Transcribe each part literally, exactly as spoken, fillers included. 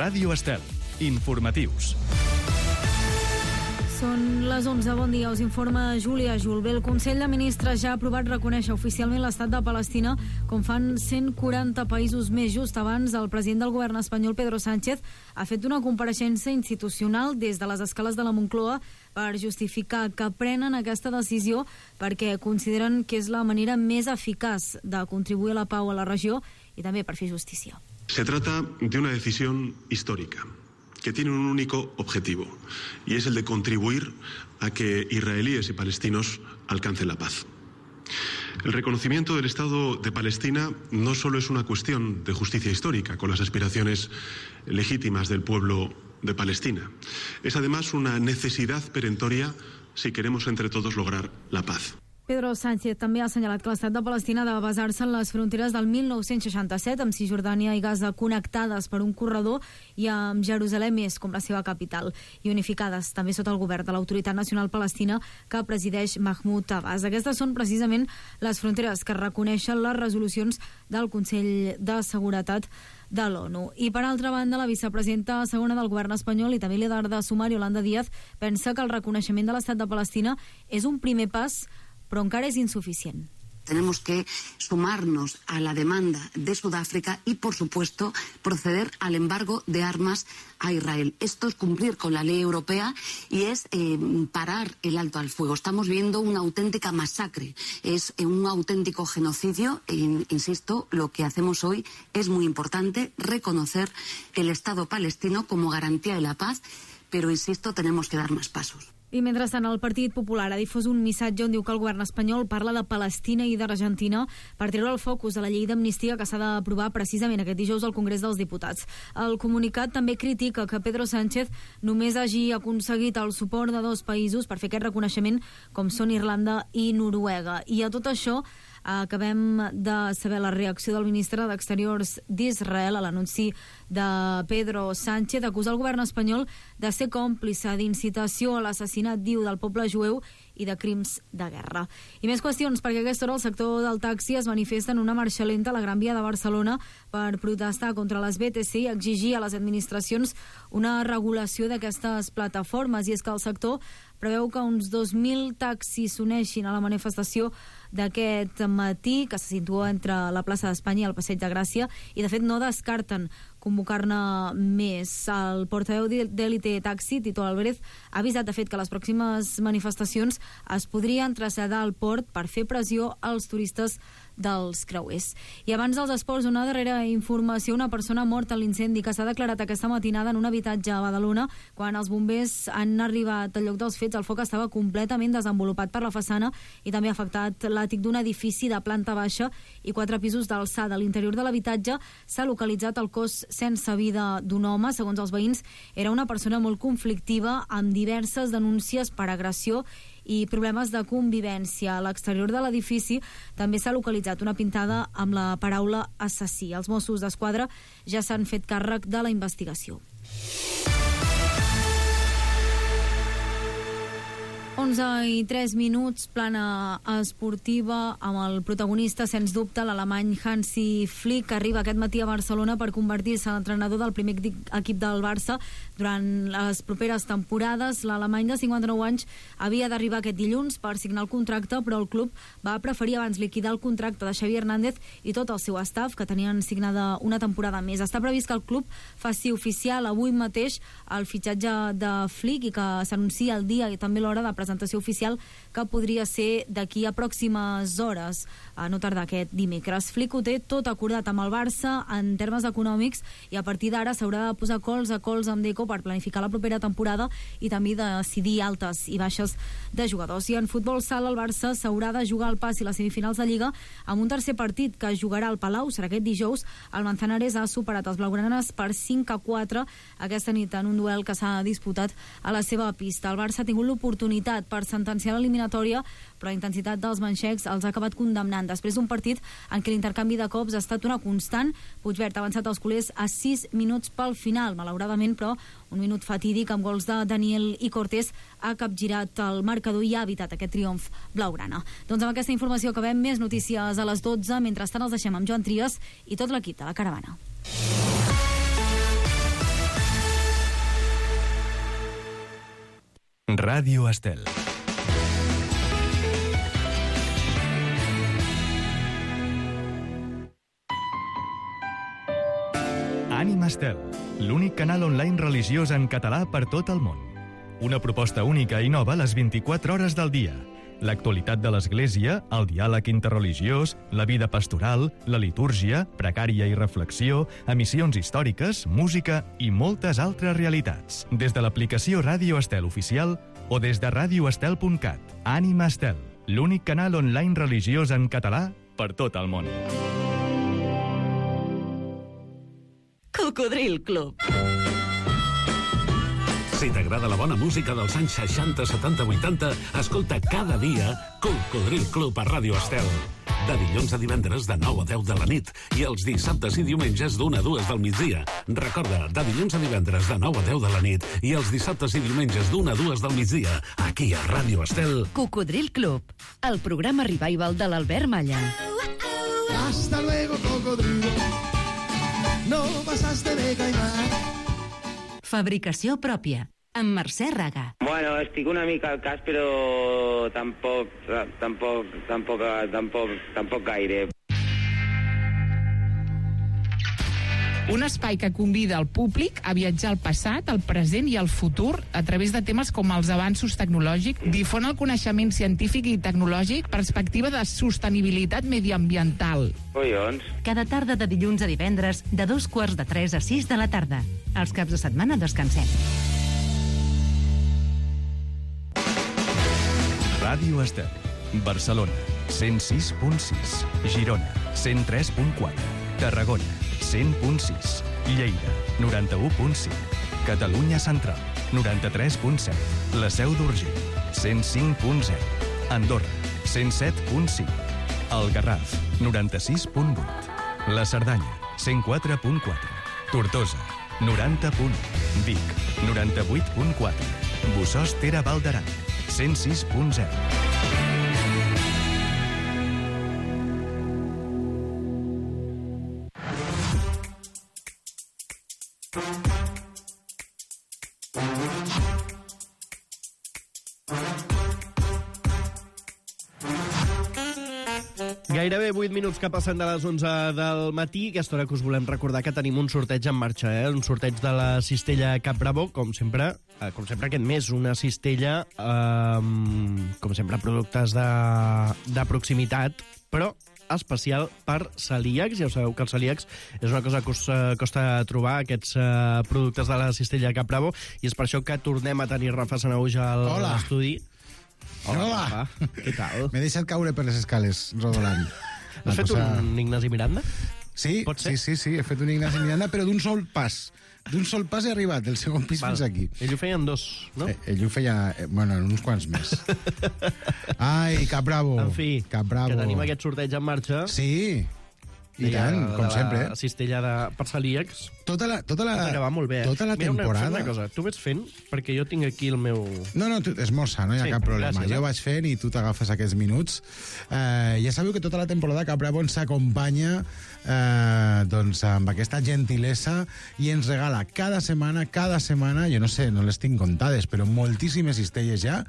Ràdio Estel. Informatius. Són les onze. Bon dia, us informa Júlia Julbé. El Consell de Ministres ja ha aprovat reconèixer oficialment l'estat de Palestina, com fan cent quaranta països més. Just abans, el president del govern espanyol, Pedro Sánchez, ha fet una compareixença institucional des de les escales de la Moncloa per justificar que prenen aquesta decisió perquè consideren que és la manera més eficaç de contribuir a la pau a la regió i també per fer justícia. Se trata de una decisión histórica que tiene un único objetivo, y es el de contribuir a que israelíes y palestinos alcancen la paz. El reconocimiento del Estado de Palestina no solo es una cuestión de justicia histórica con las aspiraciones legítimas del pueblo de Palestina, es además una necesidad perentoria si queremos entre todos lograr la paz. Pedro Sánchez també ha assenyalat que l'estat de Palestina ha de basar-se en les fronteres del mil nou-cents seixanta-set, amb Cisjordània i Gaza connectades per un corredor i amb Jerusalem és com la seva capital, i unificades també sota el govern de l'Autoritat Nacional Palestina que presideix Mahmoud Abbas. Aquestes són precisament les fronteres que reconeixen les resolucions del Consell de Seguretat de l'ONU. I per altra banda, la vicepresidenta segona del govern espanyol i també líder de Sumar, Yolanda Díaz, pensa que el reconeixement de l'estat de Palestina és un primer pas, però encara és insuficient. Tenemos que sumarnos a la demanda de Sudáfrica y, por supuesto, proceder al embargo de armas a Israel. Esto es cumplir con la ley europea y es eh, parar el alto al fuego. Estamos viendo una auténtica masacre, es eh, un auténtico genocidio. E, insisto, lo que hacemos hoy es muy importante, reconocer el Estado palestino como garantía de la paz, pero, insisto, tenemos que dar más pasos. I mentrestant, el Partit Popular ha difós un missatge on diu que el govern espanyol parla de Palestina i d'Argentina per treure el focus de la llei d'amnistia que s'ha d'aprovar precisament aquest dijous al Congrés dels Diputats. El comunicat també critica que Pedro Sánchez només hagi aconseguit el suport de dos països per fer aquest reconeixement, com són Irlanda i Noruega. I a tot això acabem de saber la reacció del ministre d'Exteriors d'Israel a l'anunci de Pedro Sánchez. Acusa el govern espanyol de ser còmplice d'incitació a l'assassinat, diu, del poble jueu i de crims de guerra. I més qüestions, perquè a aquesta hora el sector del taxi es manifesta en una marxa lenta a la Gran Via de Barcelona per protestar contra les B T C i exigir a les administracions una regulació d'aquestes plataformes. I és que el sector preveu que uns dos mil taxis s'uneixin a la manifestació d'aquest matí, que se situa entre la plaça d'Espanya i el Passeig de Gràcia, i de fet no descarten convocar-ne més. El portaveu d'Elite Taxi, Tito Álvarez, ha avisat de fet que les pròximes manifestacions es podrien traslladar al port per fer pressió als turistes dels creuers. I abans dels esports, una darrera informació: una persona morta en l'incendi que s'ha declarat aquesta matinada en un habitatge a Badalona. Quan els bombers han arribat al lloc dels fets, el foc estava completament desenvolupat per la façana i també ha afectat l'àtic d'un edifici de planta baixa i quatre pisos d'alçada. A l'interior de l'habitatge s'ha localitzat el cos sense vida d'un home. Segons els veïns, era una persona molt conflictiva, amb diverses denúncies per agressió i problemes de convivència. A l'exterior de l'edifici també s'ha localitzat una pintada amb la paraula assassí. Els Mossos d'Esquadra ja s'han fet càrrec de la investigació. onze i tres minuts, plana esportiva amb el protagonista, sens dubte, l'alemany Hansi Flick, que arriba aquest matí a Barcelona per convertir-se en entrenador del primer equip del Barça durant les properes temporades. L'alemany de cinquanta-nou anys havia d'arribar aquest dilluns per signar el contracte, però el club va preferir abans liquidar el contracte de Xavi Hernández i tot el seu staff, que tenien signada una temporada més. Està previst que el club faci oficial avui mateix el fitxatge de Flick i que s'anuncia el dia i també l'hora de presentació oficial, que podria ser d'aquí a pròximes hores, a no tardar aquest dimecres. Flick ho té tot acordat amb el Barça en termes econòmics i a partir d'ara s'haurà de posar cols a cols amb Deco per planificar la propera temporada i també decidir altes i baixes de jugadors. I en futbol sala, el Barça s'haurà de jugar al pas i les semifinals de Lliga amb un tercer partit que jugarà al Palau. Serà aquest dijous. El Manzanares ha superat els blaugranes per cinc a quatre aquesta nit en un duel que s'ha disputat a la seva pista. El Barça ha tingut l'oportunitat per sentenciar l'eliminatòria, però la intensitat dels manxecs els ha acabat condemnant després d'un partit en què l'intercanvi de cops ha estat una constant. Puigverd ha avançat els culers a sis minuts pel final, malauradament, però un minut fatídic amb gols de Daniel i Cortés ha capgirat el marcador i ha evitat aquest triomf blaugrana. Doncs amb aquesta informació acabem. Més notícies a les dotze. Mentrestant els deixem amb Joan Trias i tot l'equip de la Caravana. Ràdio Estel. Ànima Estel, l'únic canal online religiós en català per tot el món. Una proposta única i nova a les vint-i-quatre hores del dia. L'actualitat de l'Església, el diàleg interreligiós, la vida pastoral, la litúrgia, pregària i reflexió, emissions històriques, música i moltes altres realitats. Des de l'aplicació Ràdio Estel oficial o des de ràdio estel punt cat. Ànima Estel, l'únic canal online religiós en català per tot el món. Cocodril Club. Si t'agrada la bona música dels anys seixanta, setanta, vuitanta, escolta cada dia Cocodril Club a Ràdio Estel. De dilluns a divendres de nou a deu de la nit i els dissabtes i diumenges d'una a dues del migdia. Recorda, de dilluns a divendres de nou a deu de la nit i els dissabtes i diumenges d'una a dues del migdia, aquí a Ràdio Estel. Cocodril Club, el programa revival de l'Albert Malla. Hasta luego, cocodrilo. No pasaste de caimán. Fabricació pròpia, amb Mercè Raga. Bueno, estic una mica al cas, però tampoc, tampoc, tampoc, tampoc, tampoc gaire. Un espai que convida el públic a viatjar al passat, al present i al futur a través de temes com els avanços tecnològics, difon el coneixement científic i tecnològic, perspectiva de sostenibilitat mediambiental. Collons. Cada tarda de dilluns a divendres, de dos quarts de tres a sis de la tarda. Els caps de setmana descansem. Ràdio Estel, Barcelona, cent sis punt sis, Girona, cent tres punt quatre, Tarragona, cent punt sis, Lleida, noranta-u punt cinc, Catalunya Central, noranta-tres punt set, La Seu d'Urgell, cent cinc punt zero, Andorra, cent set punt cinc, El Garraf, noranta-sis punt vuit, La Cerdanya, cent quatre punt quatre, Tortosa, noranta punt u, Vic, noranta-vuit punt quatre, Bossòst Tere Val d'Aran, cent sis punt zero. Gairebé vuit minuts que passen de les onze del matí. Aquesta hora que us volem recordar que tenim un sorteig en marxa, eh? Un sorteig de la cistella Cap Bravo, com sempre, eh, com sempre aquest mes, una cistella, eh, com sempre, productes de, de proximitat, però especial per celíacs. Ja ho sabeu que els celíacs és una cosa que us eh, costa trobar, aquests eh, productes de la cistella Cap Bravo, i és per això que tornem a tenir Rafa Sanahuja al Hola. estudi. Hola, Hola, Rafa. Què tal? M'he deixat caure per les escales, rodolant. Has fet posar... un Ignasi Miranda? Sí, sí, sí, sí, he fet un Ignasi Miranda, però d'un sol pas. D'un sol pas he arribat, del segon pis Val. fins aquí. Ell ho feia en dos, no? Eh, ell ho feia, eh, bueno, en uns quants més. Ai, Cap Bravo. En fi, Cap Bravo. que tenim aquest sorteig en marxa. Sí, i Deia, tant, com la sempre. La cistella de, per celíacs. Tota la, tota la, que va molt bé. Tota la Mira, temporada... Una, una cosa, tu vés fent, perquè jo tinc aquí el meu... No, no, tu, esmorza, no hi ha sí, cap problema. gràcies, jo eh? vaig fent i tu t'agafes aquests minuts. Eh, ja sabeu que tota la temporada Cap Bravo ens acompanya eh, doncs, amb aquesta gentilesa i ens regala cada setmana, cada setmana, jo no sé, no les tinc comptades, però moltíssimes cistelles ja,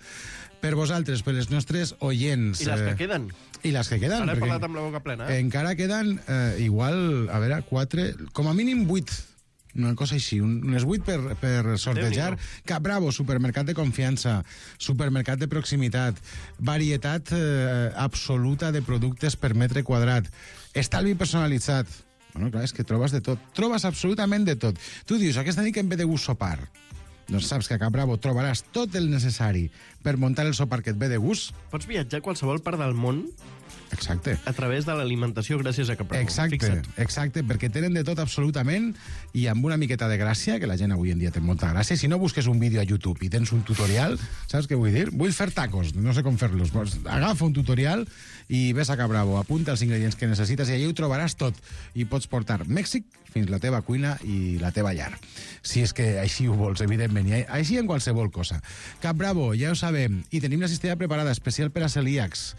per vosaltres, per les nostres oients. I les que queden. I les que queden. Ara he perquè parlat amb la boca plena. Eh? Encara queden eh, igual, a veure, quatre, com a mínim vuit, una cosa així, un, unes vuit per, per sortejar. Cap Bravo, supermercat de confiança, supermercat de proximitat, varietat eh, absoluta de productes per metre quadrat, estalvi personalitzat. Bueno, clar, és que trobes de tot. Trobes absolutament de tot. Tu dius, aquesta nit que em ve de gust sopar. Doncs saps que a Cap Bravo trobaràs tot el necessari per muntar el sopar que et ve de gust. Pots viatjar a qualsevol part del món Exacte. a través de l'alimentació gràcies a Cap Bravo. Exacte, Fixa't. exacte, perquè tenen de tot absolutament i amb una miqueta de gràcia, que la gent avui en dia té molta gràcia. Si no busques un vídeo a YouTube i tens un tutorial, saps què vull dir? Vull fer tacos, no sé com fer-los. Pues agafa un tutorial i ves a Cap Bravo, apunta els ingredients que necessites i allà ho trobaràs tot. I pots portar Mèxic fins la teva cuina i la teva llar. Si és que així ho vols, evidentment. I així en qualsevol cosa. Cap Bravo, ja ho sabem. I tenim la cistella preparada, especial per a celíacs.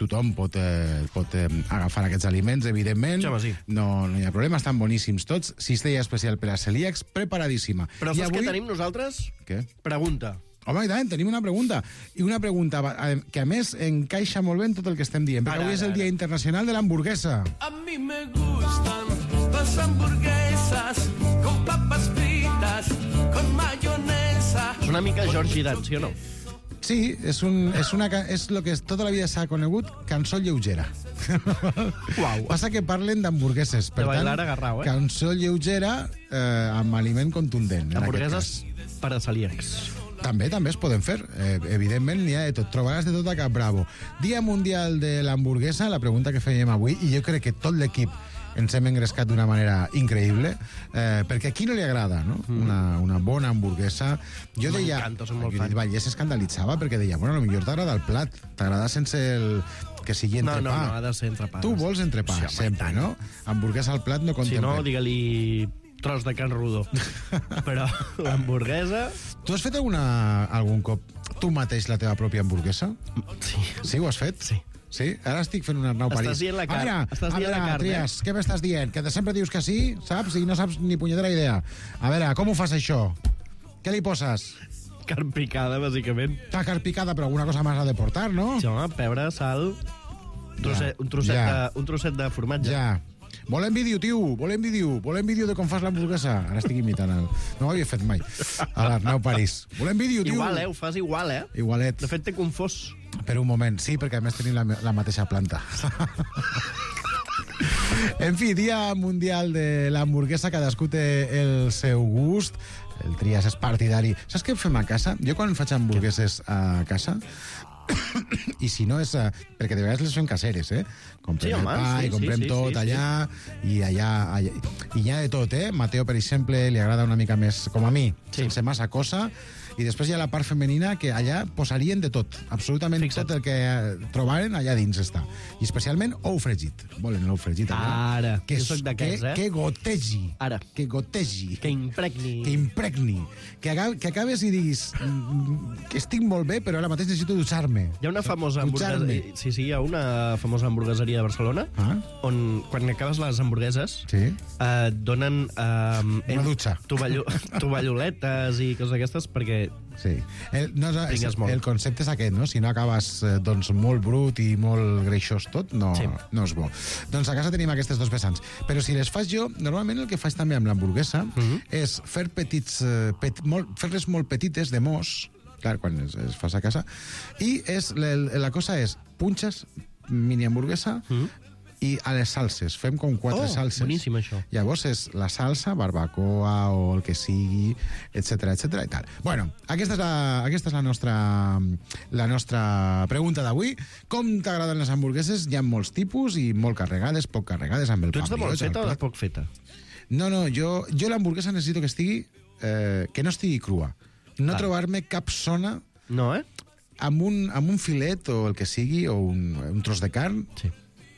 Tothom pot, eh, pot eh, agafar aquests aliments, evidentment. Xama, sí. No, no hi ha problema, estan boníssims tots. Cistella especial per a celíacs, preparadíssima. Però I saps avui... què tenim nosaltres? Què? Pregunta. Home, i tant, tenim una pregunta. I una pregunta que, a més, encaixa molt bé en tot el que estem dient, perquè ara, avui és el Dia Internacional de l'Hamburguesa. A mi me gustan las hamburguesas con papas fritas, con mayonesa. És una mica Georgie Dan, sí o no? Sí, és, un, és, una, és el que tota la vida s'ha conegut cançó lleugera. Uau. Passa que parlen d'hamburgueses. Per de tant, bailar agarrau, eh? Cançó lleugera eh, amb aliment contundent. Hamburgueses per a celíacs. També, també es poden fer. Eh, evidentment, n'hi ha de tot. Trobaràs de tot a Cap Bravo. Dia Mundial de l'Hamburguesa, la pregunta que fèiem avui, i jo crec que tot l'equip ens hem engrescat d'una manera increïble, eh, perquè a qui no li agrada, no? Mm. Una, una bona hamburguesa. Jo deia... M'encanta, som molt fan. Ja s'escandalitzava perquè deia, bueno, potser t'agrada el plat, t'agrada sense el... que sigui entrepà. No, no, no, ha de ser entrepà. Tu vols entrepà, sí, sempre, no? Hamburguesa al plat no contempla. Si no, digue-li tros de carn rodó. Però hamburguesa... Tu has fet alguna, algun cop tu mateix la teva pròpia hamburguesa? Sí. Sí, ho has fet? Sí. Sí? Ara estic fent un Arnau París. Estàs dient la carn. A veure, Estàs a dient veure, la carn, Trias, eh? què m'estàs dient? Que de sempre dius que sí, saps? I no saps ni punyetera idea. A veure, com ho fas això? Què li poses? Carn picada, bàsicament. La carn picada, però alguna cosa més ha de portar, no? Sí, home, pebre, sal... Trosset, un, trosset ja. de, un trosset de formatge. Ja. Volem vídeo, tio, volem vídeo. Volem vídeo de com fas l'hamburguesa. Ara estic imitant el... No ho havia fet mai. A l'Arnau París. Volem vídeo, tio. Igual, eh? Ho fas igual, eh? Igualet. De fet, t'he confós. Per un moment, sí, perquè a més tenim la, la mateixa planta. En fi, Dia Mundial de l'Hamburguesa, cadascú té el seu gust. El Trias és partidari. Saps què fem a casa? Jo quan faig hamburgueses a casa... I si no és... Uh, perquè de vegades les fem caseres, eh? Comprem sí, el home, pa sí, i comprem sí, sí, tot sí, allà, sí. I allà, allà... I hi ha de tot, eh? Mateo, per exemple, li agrada una mica més, com a mi, sí. sense massa cosa... I després hi ha la part femenina que allà posarien de tot. Absolutament Fixa't. Tot el que trobaren allà dins està. I especialment ou fregit. Volen l'ou fregit allà. Ara, que jo soc d'aquests, eh? Que gotegi. Ara. Que gotegi. Que impregni. Que impregni. Que, que acabes i diguis que estic molt bé, però ara mateix necessito dutxar-me. Hi ha una famosa hamburgueseria... Sí, sí, hi ha una famosa hamburgueseria de Barcelona ah? on, quan acabes les hamburgueses, sí? eh, donen... Eh, una dutxa. Tovallo, tovalloletes i coses d'aquestes, perquè sí. El, no, no, és, el concepte és aquest, no? Si no acabes eh, doncs, molt brut i molt greixós tot, no, sí. no és bo. Doncs a casa tenim aquestes dos vessants. Però si les faig jo, normalment el que faig també amb l'hamburguesa uh -huh. és fer petits, eh, pet, molt, fer-les molt petites de mos, clar, quan es, es fas a casa, i és, la, la cosa és, punxes mini hamburguesa uh -huh. i a les salses, fem com quatre oh, salses. Boníssim, això. Llavors és la salsa, barbacoa o el que sigui, etcètera, etcètera i tal. Bueno, aquesta és la, aquesta és la nostra, la nostra pregunta d'avui. Com t'agraden les hamburgueses? Hi ha molts tipus i molt carregades, poc carregades, amb el pa. Tu ets de molt feta o de poc feta? No, no, jo, jo l'hamburguesa necessito que estigui, eh, que no estigui crua. No Clar. trobar-me cap zona... No, eh? Amb un, amb un filet o el que sigui, o un, un tros de carn... Sí.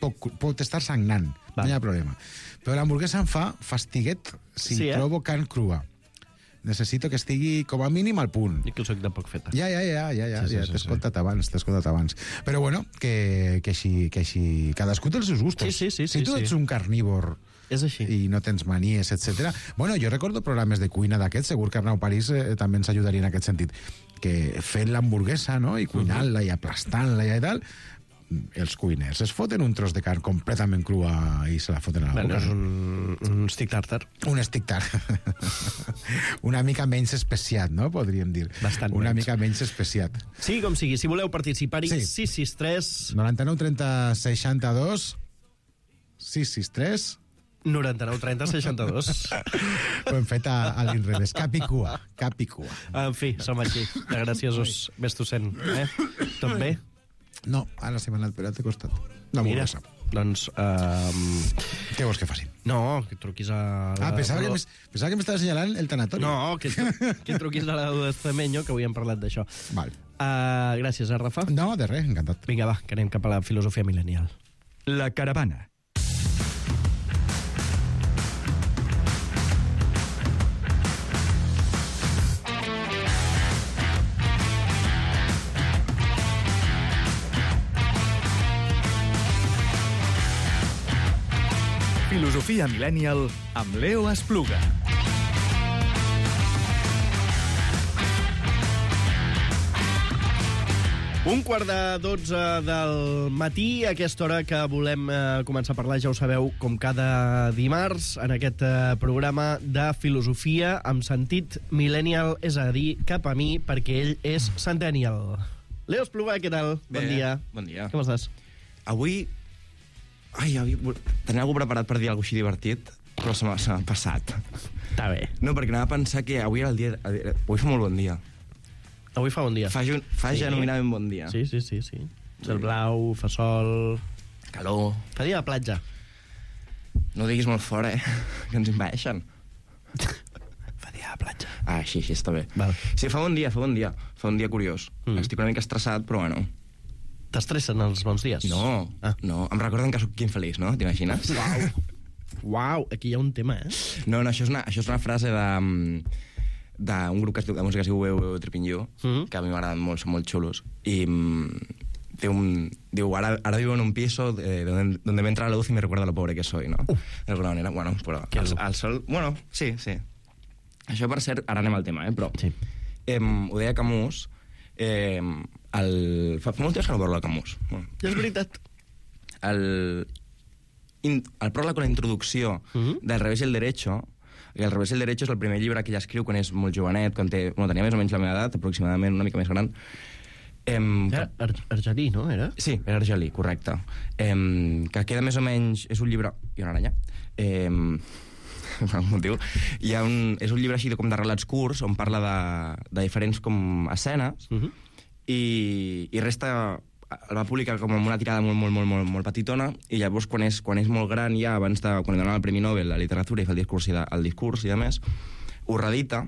Pot, pot estar sagnant, Va. no hi ha problema. Però l'hamburguesa em fa fastiguet si sí, eh? trobo carn crua. Necessito que estigui com a mínim al punt. I que soc de poc feta. Ja, ja, ja, ja, ja, sí, ja sí, t'he sí, escoltat sí. abans, t'he escoltat abans. Però bueno, que, que, així, que així... Cadascú té els seus gustos. Sí, sí, sí. Si sí, tu ets sí. un carnívor... És així. I no tens manies, etcètera. Bueno, jo recordo programes de cuina d'aquests, segur que Arnau París eh, també ens ajudaria en aquest sentit, que fent l'hamburguesa, no?, i cuinant-la i aplastant-la i tal... els cuiners es foten un tros de carn completament crua i se la foten a la boca. Bueno, és un, un stick tartar. Un stick tartar. Una mica menys especiat, no? Podríem dir. Bastant Una menys. mica menys especiat. Sí, com sigui. Si voleu participar-hi, Sí. sis sis tres... noranta-nou trenta seixanta-dos sis sis tres noranta-nou trenta seixanta-dos. Ho hem fet a, a l'inrevés. Cap i cua. Cap i cua. En fi, som així. De graciosos. Ves tu sent. Eh? Tot bé? No, ara se m'ha anat per l'altre costat. Mira, hamburguesa. doncs... Um... Què vols que facin? No, que truquis a... La... Ah, pensava que, m'es- pensava que m'estava assenyalant el tanatori. No, que, que truquis a la de Cemenyo, que avui hem parlat d'això. Val. Uh, gràcies, eh, Rafa? No, de res, encantat. Vinga, va, que anem cap a la filosofia millennial. La caravana. Filosofia millennial amb Leo Espluga. Un quart de dotze del matí, a aquesta hora que volem eh, començar a parlar, ja ho sabeu, com cada dimarts, en aquest eh, programa de filosofia amb sentit millennial, és a dir, cap a mi, perquè ell és centennial. Leo Espluga, què tal? Bé, bon dia. Bon dia. Com estàs? Avui... Ai, avui... Tenia algú preparat per dir alguna cosa així divertit, però se m'ha, se m'ha passat. Està bé. No, perquè anava a pensar que avui era el dia... Avui fa molt bon dia. Avui fa bon dia. Fa, fa sí. genuïnament bon dia. Sí, sí, sí, sí. Cel blau, fa sol... Calor. Fa dia de platja. No ho diguis molt fort, eh? Que ens invadeixen. Fa dia de platja. Ah, sí, sí, està bé. Val. Sí, fa bon dia, fa bon dia. Fa un dia curiós. Mm. Estic una mica estressat, però bueno. T'estressen els bons dies? No, ah. no. Em recorden que sóc infeliç, no? T'imagines? Uau. Uau, aquí hi ha un tema, eh? No, no, això és una, això és una frase de... d'un grup que es diu, de música que es diu Weu Weu Tripinyo, mm-hmm. que a mi m'agraden molt, són molt xulos, i mm, diu, diu ara, ara vivo en un piso eh, donde, donde me entra la luz y me recuerda lo pobre que soy, no? Uh. De alguna manera, bueno, però el, el sol... Bueno, sí, sí. Això per cert, ara anem al tema, eh, però... Sí. Eh, ho deia Camus, eh, el... fa, fa molt temps que no parlo de Camus. Bueno. Ja és veritat. El, in, el pròleg con la introducció mm-hmm. del Revés y el Derecho. I El Revés i el Derecho és el primer llibre que ella escriu quan és molt jovenet, quan té, bueno, tenia més o menys la meva edat, aproximadament una mica més gran. Em, era Ar argelí, no? Era? Sí, era argelí, correcte. Em, que queda més o menys... És un llibre... I una aranya. Em, per algun motiu. Hi ha un, és un llibre així de, com de relats curts, on parla de, de diferents com escenes, uh-huh. i, i resta... el va publicar com amb una tirada molt, molt, molt, molt, molt petitona, i llavors quan és, quan és molt gran ja, abans de... quan li donen el Premi Nobel de Literatura i fa el discurs i, de, el discurs i de més, ho redita,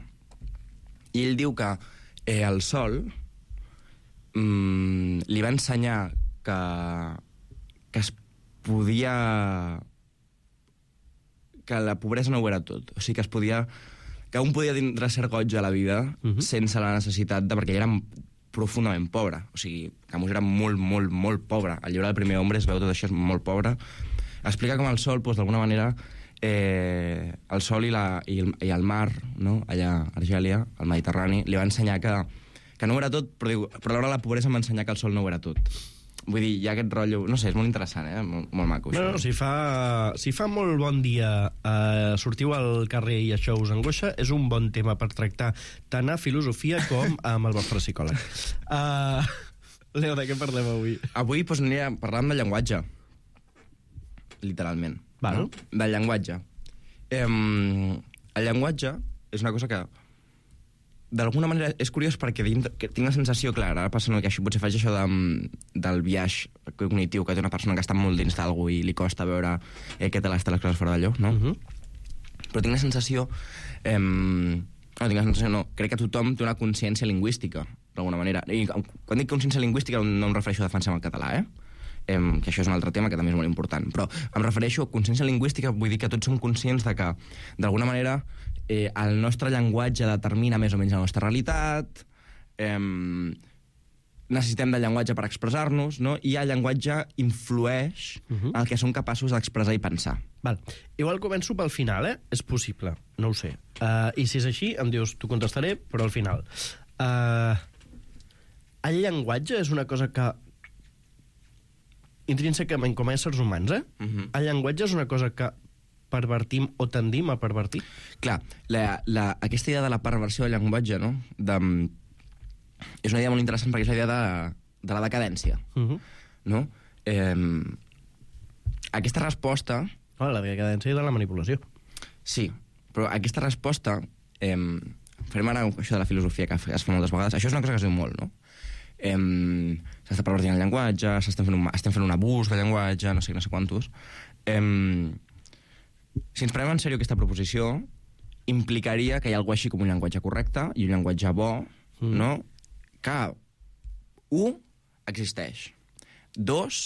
i ell diu que eh, el Sol mm, li va ensenyar que, que es podia... que la pobresa no ho era tot. O sigui, que es podia... que un podia tindre cert goig a la vida uh-huh. sense la necessitat de... perquè ell era profundament pobre. O sigui, Camus era molt, molt, molt pobre. El llibre del primer hombre es veu tot això, és molt pobre. Explica com el sol, doncs, d'alguna manera, eh, el sol i, la, i, el, i el mar, no? Allà a Argèlia, al Mediterrani, li va ensenyar que, que no ho era tot, però, diu, però alhora la pobresa em va ensenyar que el sol no ho era tot. Vull dir, hi ha aquest rotllo... No sé, és molt interessant, eh? Molt, molt maco. No, no, si fa, si fa molt bon dia eh, sortiu al carrer i això us angoixa, és un bon tema per tractar tant a filosofia com amb el vostre psicòleg. Uh, Leo, de què parlem avui? Avui doncs, anirem parlant del llenguatge. Literalment. Val. No? Del llenguatge. Eh, el llenguatge és una cosa que d'alguna manera és curiós perquè tinc la sensació, clar, ara passa que això potser faig això de, del viatge cognitiu que té una persona que està molt dins d'algú i li costa veure eh, què tal està les coses fora d'allò, no? Uh-huh. Però tinc la sensació... Eh, no, tinc la sensació, no. Crec que tothom té una consciència lingüística, d'alguna manera. I quan dic consciència lingüística no em refereixo a defensar el català, eh? eh? Que això és un altre tema que també és molt important. Però em refereixo a consciència lingüística, vull dir que tots som conscients de que, d'alguna manera, Eh, el nostre llenguatge determina més o menys la nostra realitat, eh, necessitem del llenguatge per expressar-nos, no? I el llenguatge influeix uh-huh. el que som capaços d'expressar i pensar. Val. Igual començo pel final, eh? És possible, no ho sé. Uh, I si és així, em dius, t'ho contestaré, però al final. Uh, el llenguatge és una cosa que intrínsecament com a éssers humans, eh? Uh-huh. El llenguatge és una cosa que pervertim o tendim a pervertir? Clar, la, la, aquesta idea de la perversió del llenguatge, no? De, és una idea molt interessant perquè és la idea de, de la decadència. Uh-huh. No? Eh, aquesta resposta... Oh, la decadència i de la manipulació. Sí, però aquesta resposta... Eh, farem ara això de la filosofia que es fa moltes vegades. Això és una cosa que es diu molt, no? Eh, s'està pervertint el llenguatge, s'estem fent, un, estem fent un abús del llenguatge, no sé, no sé quantos... Eh, Si ens prenem en sèrio aquesta proposició, implicaria que hi ha alguna així com un llenguatge correcte i un llenguatge bo, mm. no? Que, un, existeix. Dos,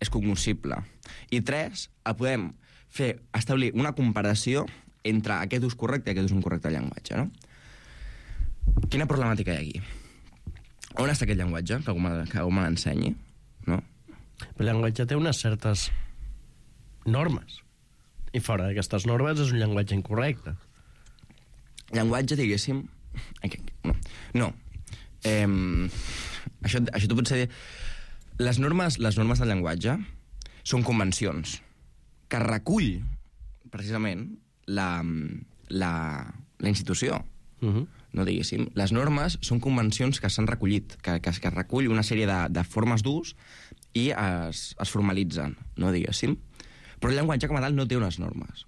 és cognoscible. I tres, el podem fer, establir una comparació entre aquest ús correcte i aquest ús incorrecte del llenguatge, no? Quina problemàtica hi ha aquí? On està aquest llenguatge? Que algú me, que algú me l'ensenyi, no? El llenguatge té unes certes normes. I fora d'aquestes normes és un llenguatge incorrecte. Llenguatge, diguéssim... No. no. Eh, Això, això tu pots dir... Les normes, les normes del llenguatge són convencions que recull, precisament, la, la, la institució. Uh-huh. No diguéssim. Les normes són convencions que s'han recollit, que, que, que recull una sèrie de, de formes d'ús i es, es formalitzen, no diguéssim. Però el llenguatge com a tal no té unes normes.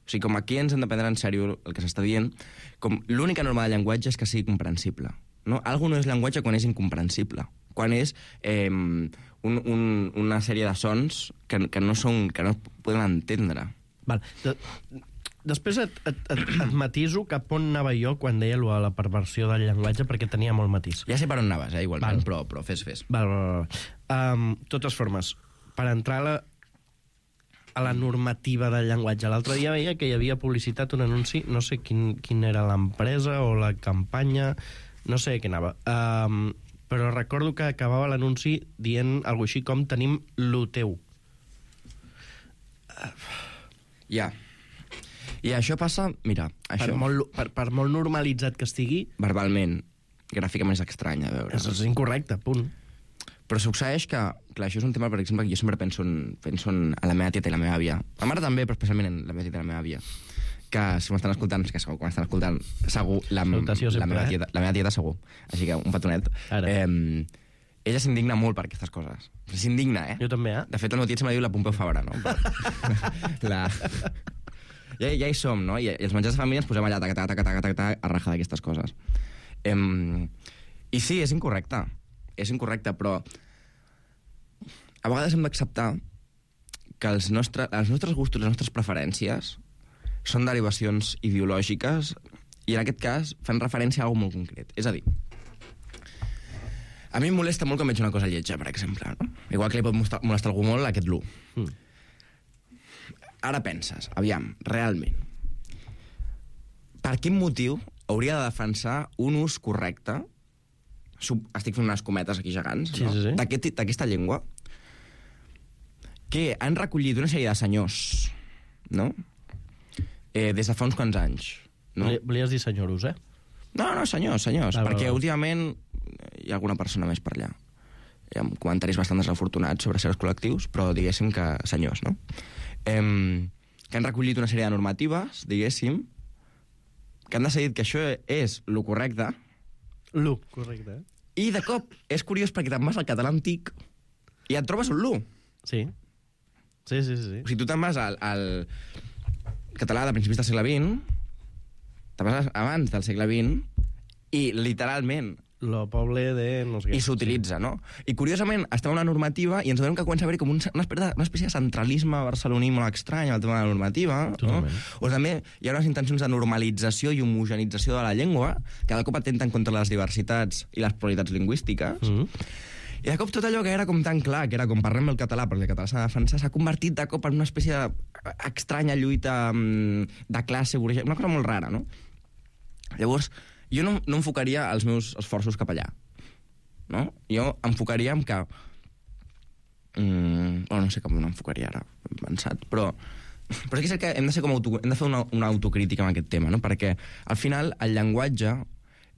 O sigui, com aquí ens hem de prendre en sèrio el que s'està dient, com l'única norma del llenguatge és que sigui comprensible. No? Algo no és llenguatge quan és incomprensible, quan és eh, un, un, una sèrie de sons que, que, no, són, que no podem entendre. Val. De, després et, et, et, et matiso cap on anava jo quan deia allò de la perversió del llenguatge, perquè tenia molt matís. Ja sé per on anaves, eh, igualment, però, però fes, fes. Val, val, val. Um, totes formes, per entrar a la, a la normativa del llenguatge. L'altre dia veia que hi havia publicitat, un anunci, no sé quin, quin era l'empresa o la campanya, no sé què anava, um, però recordo que acabava l'anunci dient alguna així com tenim lo teu. Ja. I això passa, mira... Això... Per, molt, per, per molt normalitzat que estigui... Verbalment, gràficament és estrany a veure. És, és incorrecte, punt. Però succeeix que... Clar, això és un tema, per exemple, que jo sempre penso en, penso en a la meva tieta i la meva àvia. La mare també, però especialment en la meva tieta i la meva àvia. Que si m'estan escoltant, que segur que m'estan escoltant, segur, la, Salutació sempre, la, meva eh? tieta, la meva tieta segur. Així que un petonet. Eh, ella s'indigna molt per aquestes coses. S'indigna, eh? Jo també, eh? De fet, el meu tiet sempre diu la Pompeu Fabra, no? Però... la... Ja, ja hi som, no? I, i els menjars de família ens posem allà taca, taca, taca, taca, taca, a rajar d'aquestes coses. Em... I sí, és incorrecte. És incorrecte, però a vegades hem d'acceptar que els, nostre, els nostres gustos, les nostres preferències són derivacions ideològiques i en aquest cas fan referència a alguna molt concret. És a dir, a mi em molesta molt quan veig una cosa lletja, per exemple. No? Igual que li pot molestar, molestar algú molt aquest l'u. Mm. Ara penses, aviam, realment, per quin motiu hauria de defensar un ús correcte, sub, estic fent unes cometes aquí gegants, sí, no? sí, sí. d'aquesta llengua, que han recollit una sèrie de senyors, no?, eh, des de fa uns quants anys. No? Volies dir senyoros, eh? No, no, senyors, senyors, ah, perquè va, va. últimament hi ha alguna persona més per allà. Hi ha comentaris bastant desafortunats sobre certs col·lectius, però diguéssim que senyors, no? Eh, que han recollit una sèrie de normatives, diguéssim, que han decidit que això és lo correcte. Lo correcte, eh? I de cop és curiós perquè te'n vas al català antic i et trobes un lo. Sí. Sí, sí, sí. O sigui, tu te'n vas al, al català de principis del segle vint, te'n vas abans del segle vint, i literalment... Lo poble de... No sé què. I s'utilitza, sí. No? I curiosament, està una normativa i ens donem que comença a haver com un, una, espècie de, una espècie de centralisme barceloní molt estrany al tema de la normativa. Totalment. No? O també hi ha unes intencions de normalització i homogenització de la llengua que de cop atenten contra les diversitats i les pluralitats lingüístiques. Mm-hmm. I de cop tot allò que era com tan clar, que era com parlem el català, perquè el català s'ha de defensar, s'ha convertit de cop en una espècie d'estranya lluita de classe, una cosa molt rara, no? Llavors, jo no, no enfocaria els meus esforços cap allà, no? Jo enfocaria en que... Mm, oh, no sé com no enfocaria ara, he pensat, però... Però és que hem de, ser com auto, hem de fer una, una autocrítica en aquest tema, no? Perquè, al final, el llenguatge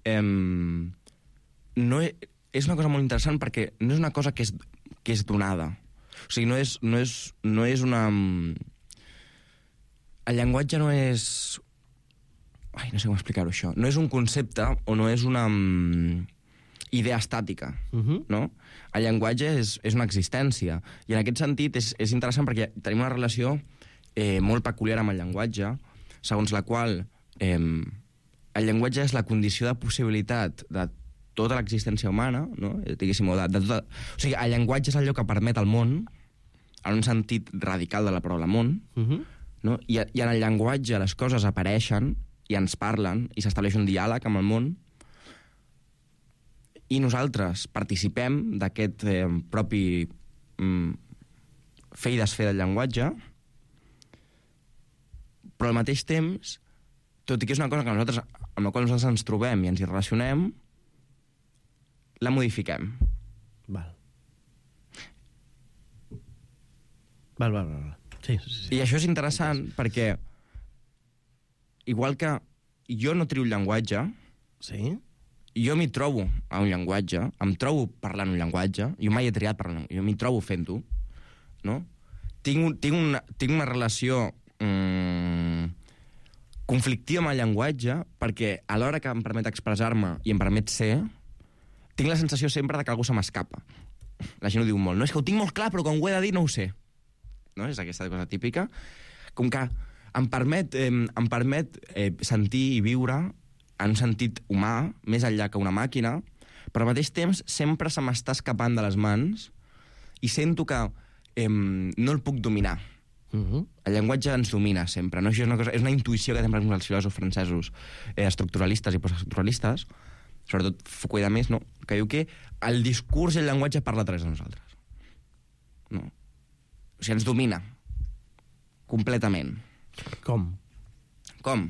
eh, no és... és una cosa molt interessant perquè no és una cosa que és, que és donada. O sigui, no és, no és, no és una... El llenguatge no és... Ai, no sé com explicar-ho, això. No és un concepte o no és una um, idea estàtica, uh-huh. no? El llenguatge és, és una existència. I en aquest sentit és, és interessant perquè tenim una relació eh, molt peculiar amb el llenguatge, segons la qual eh, el llenguatge és la condició de possibilitat de tota l'existència humana, no? Diguéssim, de, de tota... O sigui, el llenguatge és allò que permet al món, en un sentit radical de la paraula món, uh-huh. no? I, i en el llenguatge les coses apareixen i ens parlen i s'estableix un diàleg amb el món i nosaltres participem d'aquest eh, propi mm, fer i desfer del llenguatge, però al mateix temps, tot i que és una cosa que nosaltres, amb la qual nosaltres ens trobem i ens hi relacionem, la modifiquem. Val. Val, val, val. Sí, sí, sí. I això és interessant sí. perquè igual que jo no trio el llenguatge, sí? jo m'hi trobo a un llenguatge, em trobo parlant un llenguatge, jo mai he triat parlant, jo m'hi trobo fent-ho, no? Tinc, un, tinc, una, tinc una relació mm, conflictiva amb el llenguatge perquè a l'hora que em permet expressar-me i em permet ser, tinc la sensació sempre de que algú se m'escapa. La gent ho diu molt. No, és que ho tinc molt clar, però quan ho he de dir no ho sé. No? És aquesta cosa típica. Com que em permet, eh, em permet eh, sentir i viure en un sentit humà, més enllà que una màquina, però al mateix temps sempre se m'està escapant de les mans i sento que eh, no el puc dominar. Uh-huh. El llenguatge ens domina sempre, no? Això és una, cosa, és una intuïció que tenen els filòsofs francesos eh, estructuralistes i postestructuralistes, sobretot Foucault i més, no? Que diu que el discurs i el llenguatge parla a través de nosaltres. No? O sigui, ens domina. Completament. Com? Com?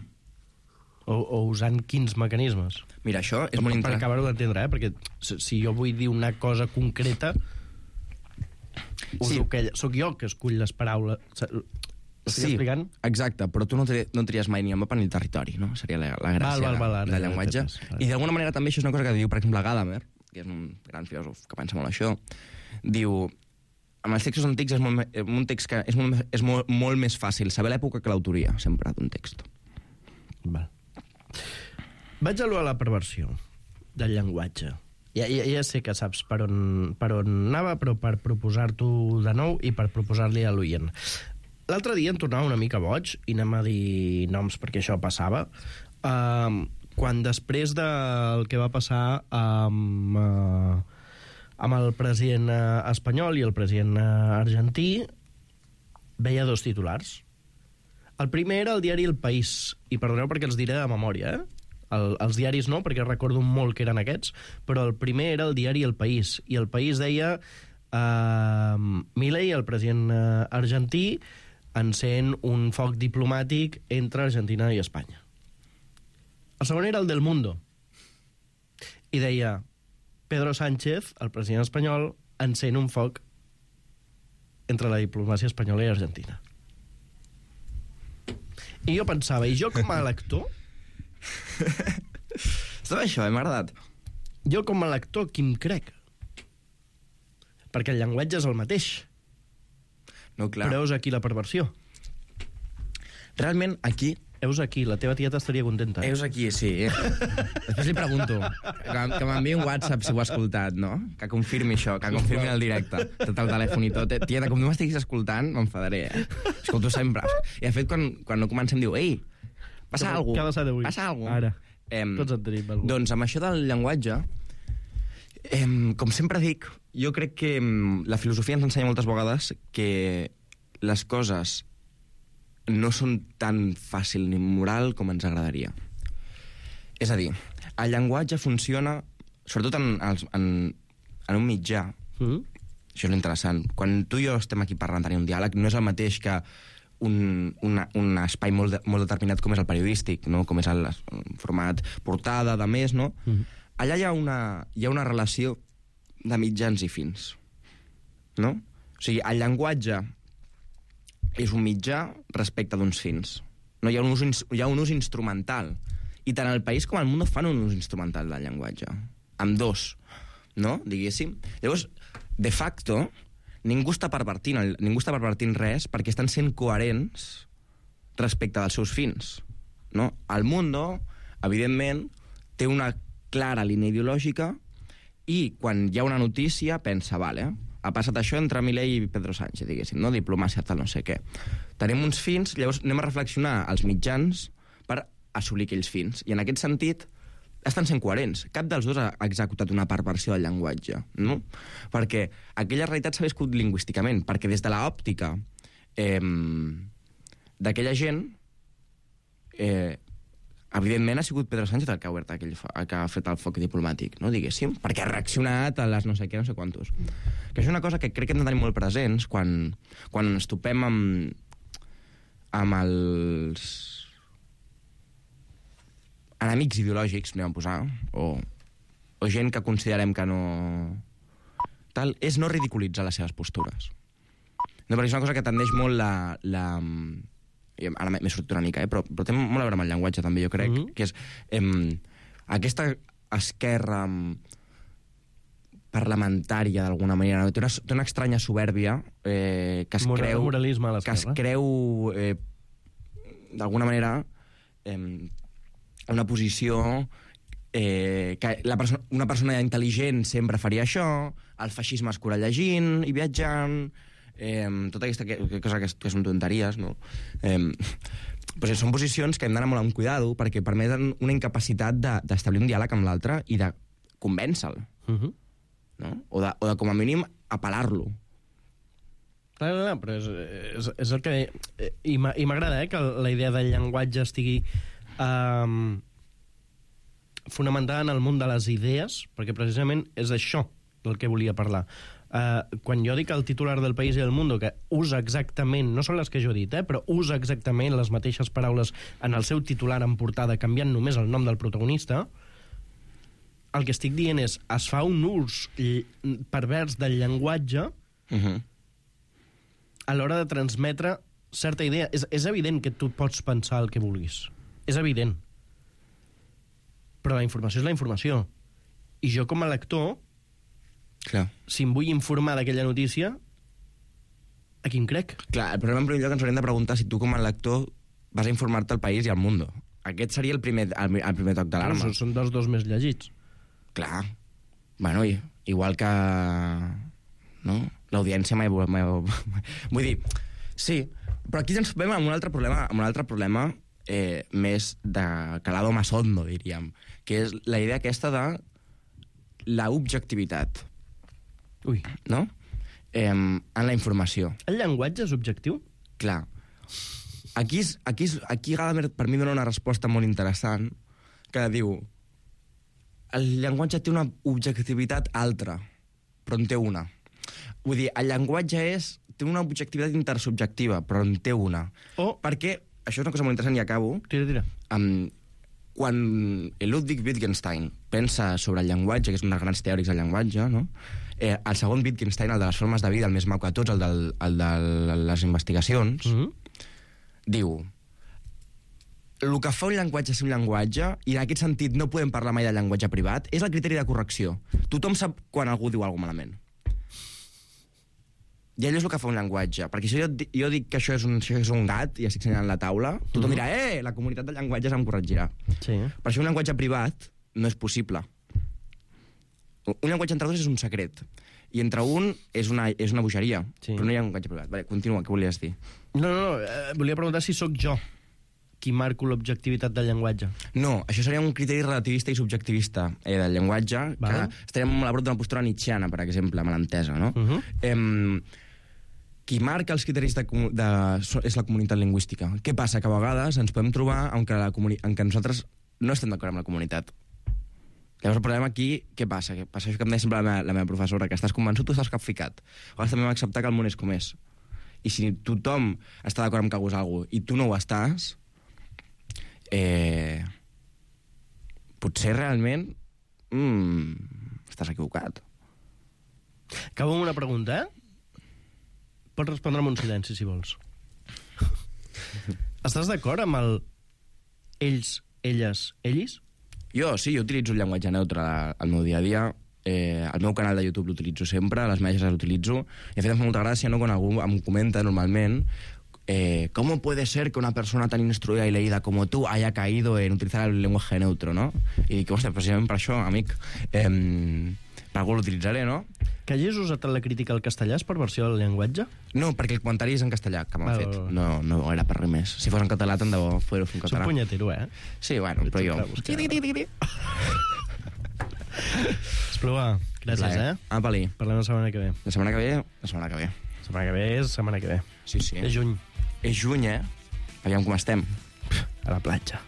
O, o usant quins mecanismes? Mira, això és per, molt per interessant. Per acabar-ho d'entendre, eh? Perquè si jo vull dir una cosa concreta, sí. Que soc jo que escull les paraules. Sí, explicant? Exacte, però tu no, tri no tries mai ni el mapa ni el territori, no? Seria la, la gràcia val, val, val, del llenguatge. I d'alguna manera també això és una cosa que diu, per exemple, Gadamer, que és un gran filòsof que pensa molt això, diu, amb els textos antics és, molt, un text que és, molt, és molt, molt més fàcil saber l'època que l'autoria, sempre, d'un text. Val. Vaig a la perversió del llenguatge. Ja, ja, ja sé que saps per on, per on anava, però per proposar-t'ho de nou i per proposar-li a l'oient. L'altre dia em tornava una mica boig, i anem a dir noms perquè això passava, uh, quan després del que va passar amb, uh, amb el president uh, espanyol i el president uh, argentí, veia dos titulars. El primer era el diari El País, i perdoneu perquè els diré de memòria, eh? El, els diaris no, perquè recordo molt que eren aquests, però el primer era el diari El País, i El País deia uh, Milei, el president uh, argentí, encén un foc diplomàtic entre Argentina i Espanya. El segon era el del Mundo, i deia Pedro Sánchez, el president espanyol, encén un foc entre la diplomàcia espanyola i Argentina. I jo pensava, i jo com a lector... Estava això, eh? M'ha agradat. Jo com a lector, qui em crec? Perquè el llenguatge és el mateix. No, clar. Però heus aquí la perversió. Realment, aquí... Heus aquí, la teva tieta estaria contenta. Heus aquí, sí. Després li pregunto, que, que m'enviï un WhatsApp si ho ha escoltat, no? Que confirmi això, que confirmi el directe. Tot el telèfon i tot. Tieta, com no m'estiguis escoltant, m'enfadaré, eh? Escolto sempre. I de fet, quan, quan no comencem, diu, ei, passa alguna cosa. Què ha passat avui? Passa alguna cosa. Ara. Em, Tots en tenim alguna. Doncs amb això del llenguatge, em, com sempre dic, jo crec que em, la filosofia ens ensenya moltes vegades que les coses no són tan fàcil ni moral com ens agradaria. És a dir, el llenguatge funciona, sobretot en, en, en un mitjà, mm-hmm. Això és interessant. Quan tu i jo estem aquí parlant, tenir un diàleg, no és el mateix que un, una, un espai molt, de, molt determinat com és el periodístic, no? Com és el, el format portada, de més, no? Mm-hmm. Allà hi ha, una, hi ha una relació de mitjans i fins, no? O sigui, el llenguatge és un mitjà respecte d'uns fins. No, hi ha un ús, hi ha un ús instrumental. I tant el país com el món fan un ús instrumental del llenguatge. Amb dos, no? Diguéssim. Llavors, de facto, ningú està pervertint, ningú està pervertint res perquè estan sent coherents respecte dels seus fins. No? El Mundo, evidentment, té una clara línia ideològica i quan hi ha una notícia pensa, vale, ha passat això entre Milei i Pedro Sánchez, diguéssim, no? Diplomàcia, tal, no sé què. Tenim uns fins, llavors anem a reflexionar els mitjans per assolir aquells fins. I en aquest sentit estan sent coherents. Cap dels dos ha executat una perversió del llenguatge, no? Perquè aquella realitat s'ha viscut lingüísticament, perquè des de l'òptica eh, d'aquella gent, eh, evidentment ha sigut Pedro Sánchez el que ha obert aquell, el que ha fet el foc diplomàtic, no, diguéssim, perquè ha reaccionat a les no sé què, no sé quantos. Que és una cosa que crec que hem de tenir molt presents quan, quan ens topem amb, amb els enemics ideològics, anem a posar, o, o gent que considerem que no... Tal, és no ridiculitzar les seves postures. No, perquè és una cosa que tendeix molt la... la ara m'he sortit una mica, eh? però, però té molt a veure amb el llenguatge també, jo crec, mm-hmm. que és eh, aquesta, esquerra parlamentària, d'alguna manera. No? Té, una, té una estranya soberbia eh, que es Moral, creu... moralisme a que es l'esquerra. creu, eh, d'alguna manera, eh, una posició eh, que la perso una persona intel·ligent sempre faria això, el feixisme es cura llegint i viatjant, eh, tota aquesta que, que cosa que, que són tonteries, no? Eh, pues són posicions que hem d'anar molt amb cuidado perquè permeten una incapacitat d'establir de, un diàleg amb l'altre i de convèncer-lo. Uh-huh. No? O, de, o de, com a mínim, apel·lar-lo. No, no, no, però és, és, és el que... I m'agrada, eh, que la idea del llenguatge estigui um, fonamentada en el món de les idees, perquè precisament és això del que volia parlar. Uh, quan jo dic el titular del País i del Mundo, que usa exactament, no són les que jo he dit, eh, però usa exactament les mateixes paraules en el seu titular en portada, canviant només el nom del protagonista, el que estic dient és, es fa un ús pervers del llenguatge uh-huh. a l'hora de transmetre certa idea. És, és evident que tu pots pensar el que vulguis. És evident. Però la informació és la informació. I jo, com a lector, clar, si em vull informar d'aquella notícia, a qui em crec? Clar, el problema en primer lloc ens hauríem de preguntar si tu, com a lector, vas a informar-te al País i al Mundo. Aquest seria el primer, el, el primer toc d'alarma. No, són dels dos més llegits. Clar. Bueno, i, igual que... No? L'audiència mai... mai... Vull dir, sí, però aquí ens veiem amb un altre problema, amb un altre problema eh, més de calado más hondo, diríem, que és la idea aquesta de la objectivitat. Ui. No? Eh, en la informació. El llenguatge és objectiu? Clar. Aquí, és, aquí, és, aquí Gadamer per mi dona una resposta molt interessant que diu el llenguatge té una objectivitat altra, però en té una. Vull dir, el llenguatge és, té una objectivitat intersubjectiva, però en té una. Oh. Perquè, això és una cosa molt interessant i acabo. Tira, tira. Um, quan Ludwig Wittgenstein pensa sobre el llenguatge, que és un dels grans teòrics del llenguatge, no? eh, el segon Wittgenstein, el de les formes de vida, el més maco de tots, el, del, el de les investigacions, mm-hmm. diu... El que fa un llenguatge ser un llenguatge, i en aquest sentit no podem parlar mai de llenguatge privat, és el criteri de correcció. Tothom sap quan algú diu alguna cosa malament. I allò és el que fa un llenguatge. Perquè si jo, jo dic que això és, un, això és un gat i estic senyalant la taula, tothom mm-hmm. dirà, eh, la comunitat del llenguatge em corregirà. Sí. Per això un llenguatge privat no és possible. Un llenguatge entre dos és un secret. I entre un és una, és una bogeria. Sí. Però no hi ha un llenguatge privat. Vale, continua, què volies dir? No, no, no, eh, volia preguntar si sóc jo qui marco l'objectivitat del llenguatge. No, això seria un criteri relativista i subjectivista eh, del llenguatge, vale. Que estaríem molt a prop d'una postura nietzscheana, per exemple, mal entesa, no? Uh-huh. eh, qui marca els criteris de, de, és la comunitat lingüística. Què passa? Que a vegades ens podem trobar en què, la comuni en què nosaltres no estem d'acord amb la comunitat. Llavors el problema aquí, què passa? Què passa això que em deia sempre la meva, la meva professora, que estàs convençut o estàs capficat? A vegades també hem d'acceptar que el món és com és. I si tothom està d'acord amb que algú és algú i tu no ho estàs, Eh, potser realment mm, estàs equivocat. Acabo amb una pregunta, eh? Pots respondre amb un silenci, si vols. Estàs d'acord amb el ells, elles, ells? Jo, sí, jo utilitzo el llenguatge neutre al meu dia a dia. Eh, el meu canal de YouTube l'utilitzo sempre, les meves l'utilitzo, i a fet em fa molta gràcia, no?, quan algú em comenta normalment Eh, ¿cómo puede ser que una persona tan instruida y leída como tú haya caído en utilizar el lenguaje neutro, no? I dic, hòstia, precisament per això, amic, eh, per algú l'utilitzaré, no? Que hagis usat la crítica al castellà és perversió del llenguatge? No, perquè el comentari és en castellà, que m'han fet. No, no era per res més. Si fos en català, tant de bo poder-ho fer en català. Soc punyetero, eh? Sí, bueno, però jo... Espluga, gràcies, eh? Apa-li. Parlem la setmana que ve. La setmana que ve? La setmana que ve. La setmana que ve és la setmana que ve. Sí, sí. És juny. És juny, eh? Aviam com estem. A la platja.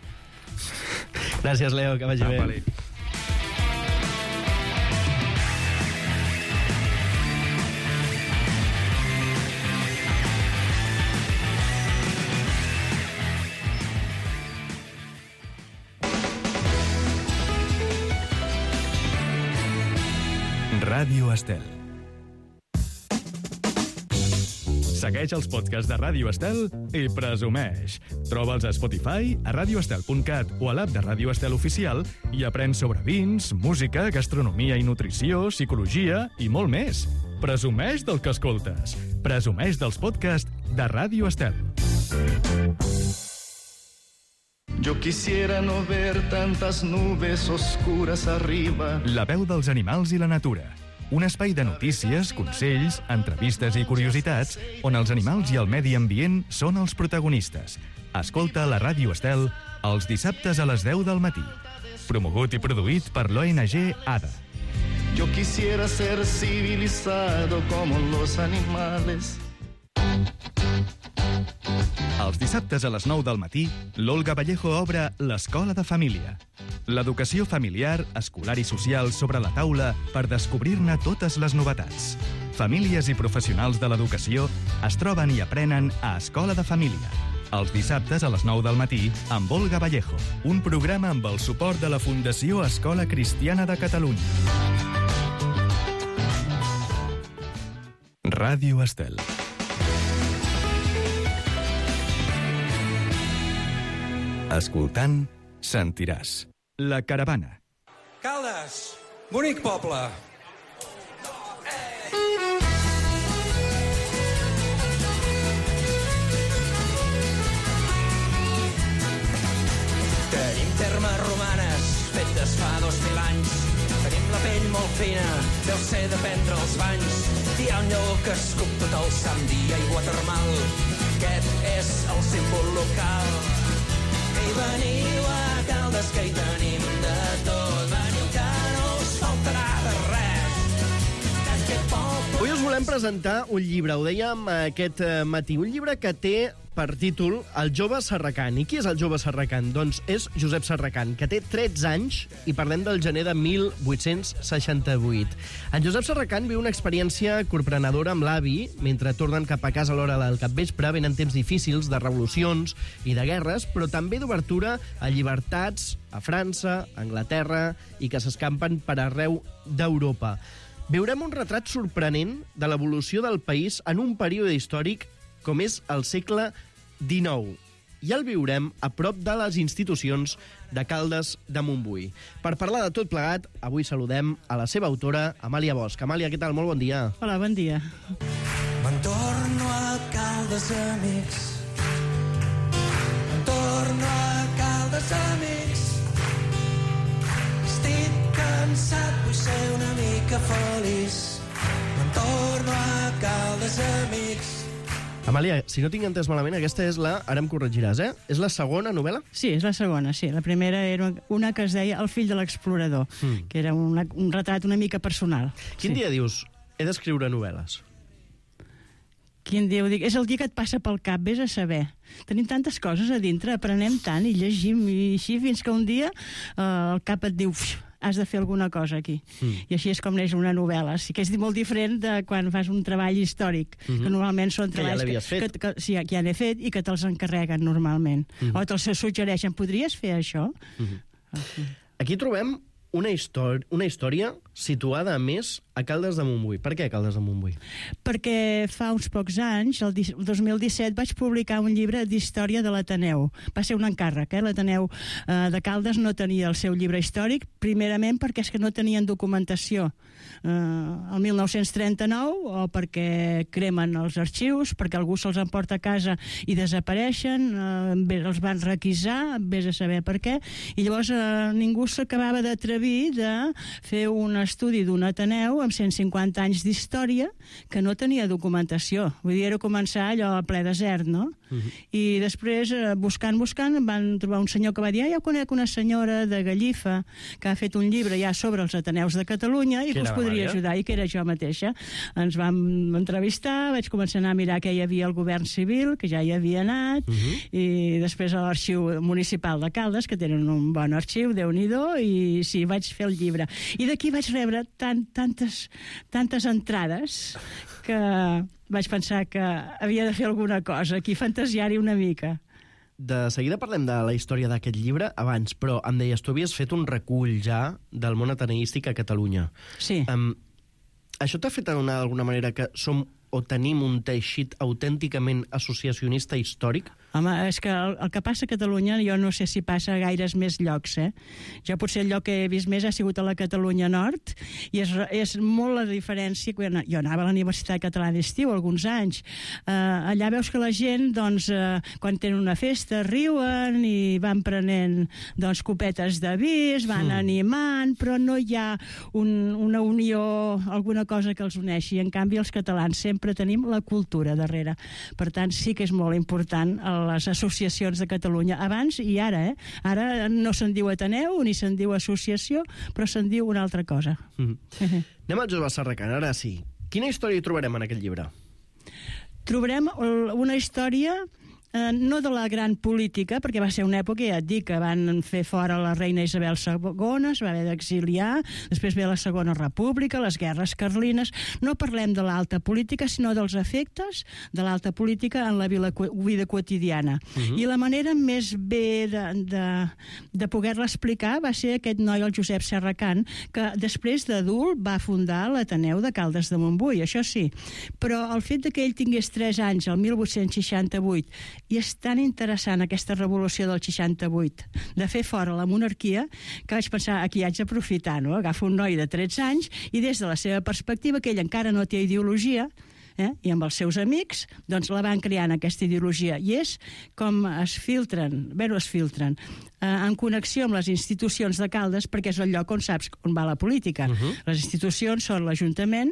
Gràcies, Leo, que vagi bé. Ràdio Estel. Segueix els podcasts de Ràdio Estel i presumeix. Troba'ls a Spotify, a radioestel punt cat o a l'app de Ràdio Estel Oficial i aprèn sobre vins, música, gastronomia i nutrició, psicologia i molt més. Presumeix del que escoltes. Presumeix dels podcasts de Ràdio Estel. Yo quisiera no ver tantas nubes oscuras arriba. La veu dels animals i la natura. Un espai de notícies, consells, entrevistes i curiositats on els animals i el medi ambient són els protagonistes. Escolta la Ràdio Estel els dissabtes a les deu del matí. Promogut i produït per l'O N G A D A. Yo quisiera ser civilizado como los animales. Els dissabtes a les nou del matí, l'Olga Vallejo obre l'Escola de Família. L'educació familiar, escolar i social sobre la taula per descobrir-ne totes les novetats. Famílies i professionals de l'educació es troben i aprenen a Escola de Família. Els dissabtes a les nou del matí amb Olga Vallejo, un programa amb el suport de la Fundació Escola Cristiana de Catalunya. Ràdio Estel. Escoltant, sentiràs. La Caravana. Caldes, bonic poble. Tenim termes romanes fetes fa dos mil anys. Tenim la pell molt fina, deu ser de prendre els banys. Hi ha un lleó que escup tot el sant dia, aigua termal. Aquest és el símbol local. I veniu a Caldes, que hi tenim de tot. Veniu que no us faltarà de res. Aquest poble... Avui us volem presentar un llibre, ho dèiem aquest matí, un llibre que té per títol El jove Serracant. I qui és el jove Serracant? Doncs és Josep Serracant, que té tretze anys i parlem del gener de mil vuit-cents seixanta-vuit. En Josep Serracant viu una experiència corprenedora amb l'avi mentre tornen cap a casa a l'hora del capvespre. Venen temps difícils de revolucions i de guerres, però també d'obertura a llibertats a França, a Anglaterra i que s'escampen per arreu d'Europa. Veurem un retrat sorprenent de l'evolució del país en un període històric com és el segle dinou. I el viurem a prop de les institucions de Caldes de Montbui. Per parlar de tot plegat, avui saludem a la seva autora, Amàlia Bosch. Amàlia, què tal? Molt bon dia. Hola, bon dia. Me'n torno a Caldes, amics. Me'n torno a Caldes, amics. Estic cansat, vull ser una mica feliç. Me'n torno a Caldes, amics. Amàlia, si no tinc entès malament, aquesta és la... Ara em corregiràs, eh? És la segona novel·la? Sí, és la segona, sí. La primera era una que es deia El fill de l'explorador, mm. que era una, un retrat una mica personal. Quin sí. dia dius, he d'escriure novel·les? Quin dia ho dic? És el dia que et passa pel cap, vés a saber. Tenim tantes coses a dintre, aprenem tant i llegim i així fins que un dia eh, el cap et diu... has de fer alguna cosa aquí. Mm. I així és com neix una novel·la. Sí que és molt diferent de quan fas un treball històric, mm -hmm. que normalment són treballs que, ja que, que, que, sí, que ja n'he fet i que te'ls encarreguen normalment. Mm -hmm. O te'ls suggereixen, podries fer això? Mm -hmm. Aquí trobem una, història, una història situada, a més, a Caldes de Montbui. Per què Caldes de Montbui? Perquè fa uns pocs anys, el dos mil disset, vaig publicar un llibre d'història de l'Ateneu. Va ser un encàrrec, eh? L'Ateneu eh, de Caldes no tenia el seu llibre històric, primerament perquè és que no tenien documentació. Eh, el mil nou-cents trenta-nou, o perquè cremen els arxius, perquè algú se'ls emporta a casa i desapareixen, eh, els van requisar, vés a saber per què, i llavors eh, ningú s'acabava d'atrevir de fer un estudi d'un Ateneu amb cent cinquanta anys d'història que no tenia documentació. Vull dir, era començar allò a ple desert, no? Uh-huh. I després, buscant, buscant, van trobar un senyor que va dir ah, ja conec una senyora de Gallifa que ha fet un llibre ja sobre els Ateneus de Catalunya i que us podria ajudar, i que era jo mateixa. Ens vam entrevistar, vaig començar a anar a mirar què hi havia al govern civil, que ja hi havia anat, uh-huh. i després a l'Arxiu Municipal de Caldes, que tenen un bon arxiu, Déu-n'hi-do, i sí, vaig fer el llibre. I d'aquí vaig rebre tant, tantes, tantes entrades que vaig pensar que havia de fer alguna cosa, aquí fantasiar-hi una mica. De seguida parlem de la història d'aquest llibre abans, però em deies, tu havies fet un recull ja del món ateneístic a Catalunya. Sí. Um, això t'ha fet adonar d'alguna manera que som o tenim un teixit autènticament associacionista històric? Home, és que el, el que passa a Catalunya, jo no sé si passa a gaires més llocs, eh? Jo potser el lloc que he vist més ha sigut a la Catalunya Nord, i és, és molt la diferència. Quan jo anava a la Universitat Catalana d'Estiu alguns anys. Eh, allà veus que la gent, doncs, eh, quan tenen una festa, riuen i van prenent, doncs, copetes de vi, es van mm. animant, però no hi ha un, una unió, alguna cosa que els uneixi. En canvi, els catalans sempre tenim la cultura darrere. Per tant, sí que és molt important les associacions de Catalunya, abans i ara, eh? Ara no se'n diu Ateneu ni se'n diu associació, però se'n diu una altra cosa. Mm. Anem al Jove Serracant, ara sí. Quina història hi trobarem en aquest llibre? Trobarem una història eh, no de la gran política, perquè va ser una època, ja et dic, que van fer fora la reina Isabel segona, es va haver d'exiliar, després ve la Segona República, les guerres carlines. No parlem de l'alta política, sinó dels efectes de l'alta política en la vida, vida quotidiana. Uh-huh. I la manera més bé de, de, de poder-la explicar va ser aquest noi, el Josep Serracant, que després d'adult va fundar l'Ateneu de Caldes de Montbui, això sí. Però el fet de que ell tingués tres anys, el mil vuit-cents seixanta-vuit, i és tan interessant aquesta revolució del seixanta-vuit, de fer fora la monarquia, que vaig pensar, aquí haig d'aprofitar, no? Agafo un noi de tretze anys i des de la seva perspectiva, que ell encara no té ideologia, eh? I amb els seus amics, doncs la van creant aquesta ideologia. I és com es filtren, bé, es filtren, eh, en connexió amb les institucions de Caldes, perquè és el lloc on saps on va la política. Uh-huh. Les institucions són l'Ajuntament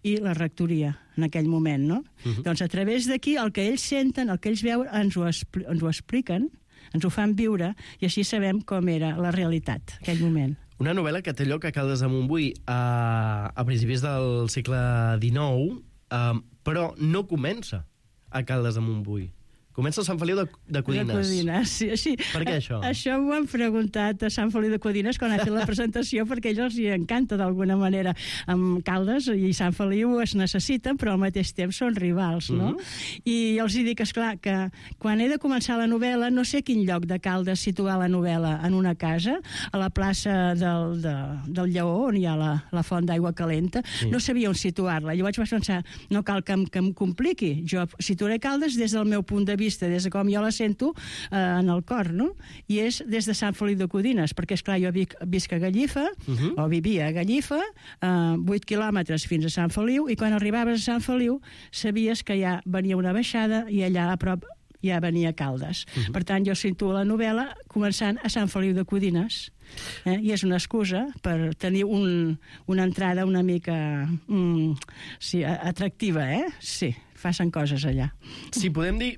i la rectoria, en aquell moment, no? Uh-huh. Doncs a través d'aquí, el que ells senten, el que ells veuen, ens ho, expl- ens ho expliquen, ens ho fan viure, i així sabem com era la realitat, aquell moment. Una novel·la que té lloc a Caldes de Montbui a, a principis del segle dinou, eh, però no comença a Caldes de Montbui. Comença a Sant Feliu de, de Codines. De Codines, sí. Així, per què això? Això m'ho han preguntat a Sant Feliu de Codines quan ha fet la presentació, perquè a ells els hi encanta d'alguna manera. Amb Caldes i Sant Feliu es necessiten, però al mateix temps són rivals, no? Uh-huh. I els hi dic, esclar, que quan he de començar la novel·la, no sé quin lloc de Caldes situar la novel·la, en una casa, a la plaça del, de, del Lleó, on hi ha la, la font d'aigua calenta, sí. No sabia on situar-la. Llavors vaig pensar, no cal que em, que em compliqui. Jo situaré Caldes des del meu punt de vista, des de com jo la sento eh, en el cor, no? I és des de Sant Feliu de Codines, perquè, esclar, jo vic, visc a Gallifa, uh-huh. o vivia a Gallifa, eh, vuit quilòmetres fins a Sant Feliu, i quan arribaves a Sant Feliu sabies que ja venia una baixada i allà a prop ja venia Caldes. Uh-huh. Per tant, jo situo la novel·la començant a Sant Feliu de Codines. Eh? I és una excusa per tenir un, una entrada una mica mm, sí, atractiva, eh? Sí, facin coses allà. Si podem dir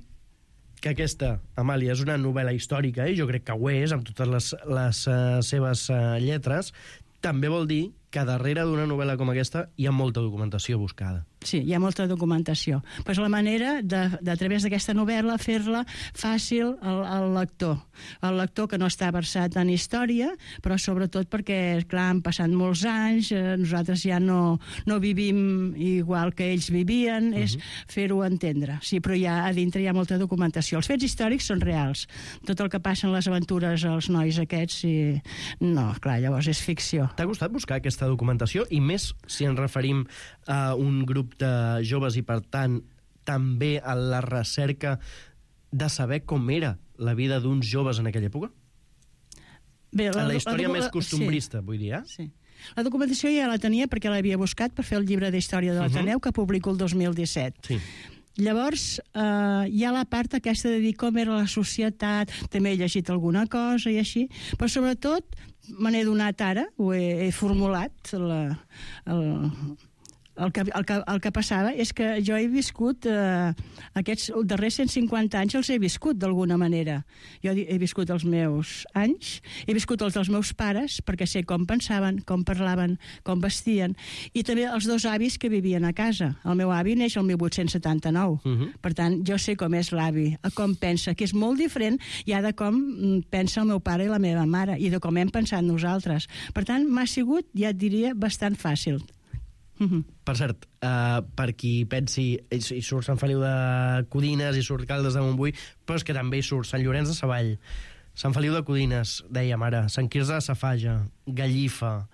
que aquesta, Amàlia, és una novel·la històrica, i jo crec que ho és, amb totes les, les uh, seves uh, lletres, també vol dir que darrere d'una novel·la com aquesta hi ha molta documentació buscada. Sí, hi ha molta documentació. Però és la manera de, de a través d'aquesta novel·la, fer-la fàcil al, al lector. El lector que no està versat en història, però sobretot perquè, clar, han passat molts anys, eh, nosaltres ja no, no vivim igual que ells vivien, uh-huh. és fer-ho entendre. Sí, però ja a dintre hi ha molta documentació. Els fets històrics són reals. Tot el que passa en les aventures als nois aquests, i... no, clar, llavors és ficció. T'ha costat buscar aquesta documentació? I més si ens referim a un grup de joves i, per tant, també a la recerca de saber com era la vida d'uns joves en aquella època? Bé, la, en la història la, més costumbrista, sí. vull dir, eh? Sí. La documentació ja la tenia perquè l'havia buscat per fer el llibre d'història de l'Ateneu, uh-huh. que publico el dos mil disset. Sí. Llavors, eh, hi ha la part aquesta de dir com era la societat, també he llegit alguna cosa i així, però sobretot me n'he donat ara, ho he, he formulat, la, el, el, que, el, que, el que passava és que jo he viscut, eh, aquests darrers cent cinquanta anys els he viscut d'alguna manera. Jo he viscut els meus anys, he viscut els dels meus pares, perquè sé com pensaven, com parlaven, com vestien, i també els dos avis que vivien a casa. El meu avi neix el mil vuit-cents setanta-nou, uh-huh. per tant, jo sé com és l'avi, com pensa, que és molt diferent ja de com pensa el meu pare i la meva mare, i de com hem pensat nosaltres. Per tant, m'ha sigut, ja et diria, bastant fàcil. Uh-huh. Per cert, uh, per qui pensi, hi surt Sant Feliu de Codines, hi surt Caldes de Montbui, però és que també hi surt Sant Llorenç de Savall, Sant Feliu de Codines, dèiem ara, Sant Quirze de Safaja, Gallifa,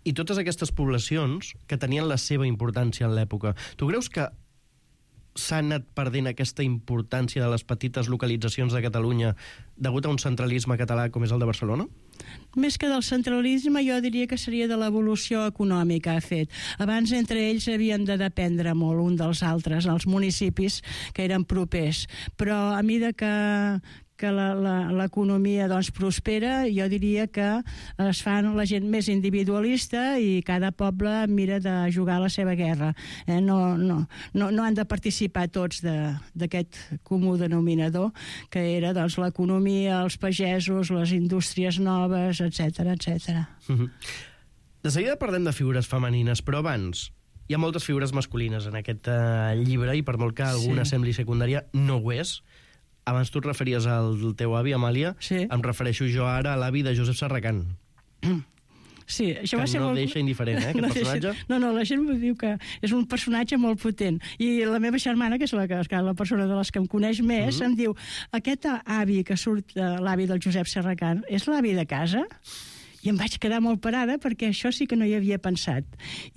i totes aquestes poblacions que tenien la seva importància en l'època. Tu creus que s'ha anat perdent aquesta importància de les petites localitzacions de Catalunya degut a un centralisme català com és el de Barcelona? Més que del centralisme, jo diria que seria de l'evolució econòmica ha fet. Abans, entre ells, havien de dependre molt un dels altres, els municipis que eren propers. Però a mesura que que l'economia doncs, prospera, jo diria que es fan la gent més individualista i cada poble mira de jugar la seva guerra. Eh? No, no, no, no han de participar tots d'aquest comú denominador, que era doncs, l'economia, els pagesos, les indústries noves, etcètera, etcètera. Uh-huh. De seguida parlem de figures femenines, però abans hi ha moltes figures masculines en aquest uh, llibre i per molt que alguna sí. sembli secundària, no ho és. Abans tu et referies al teu avi, Amàlia, sí. em refereixo jo ara a l'avi de Josep Serracant. Sí, això va que ser no molt... deixa indiferent, eh, aquest no personatge. Deixa... No, no, la gent diu que és un personatge molt potent. I la meva germana, que és la, que, la persona de les que em coneix més, mm-hmm. em diu, aquest avi que surt, l'avi del Josep Serracant, és l'avi de casa? I em vaig quedar molt parada perquè això sí que no hi havia pensat.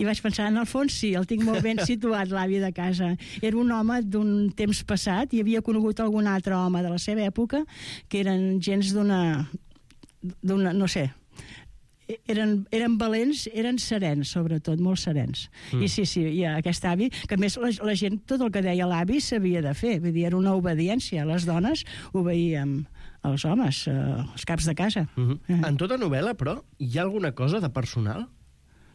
I vaig pensar, en el fons sí, el tinc molt ben situat, l'avi de casa. Era un home d'un temps passat i havia conegut algun altre home de la seva època que eren gens d'una... d'una, no sé... Eren, eren valents, eren serens, sobretot, molt serens. Mm. I sí, sí, i aquest avi, que a més la, la gent, tot el que deia l'avi s'havia de fer, vull dir, era una obediència. Les dones obeïem als homes, eh, als caps de casa. Mm-hmm. eh. En tota novel·la, però, hi ha alguna cosa de personal?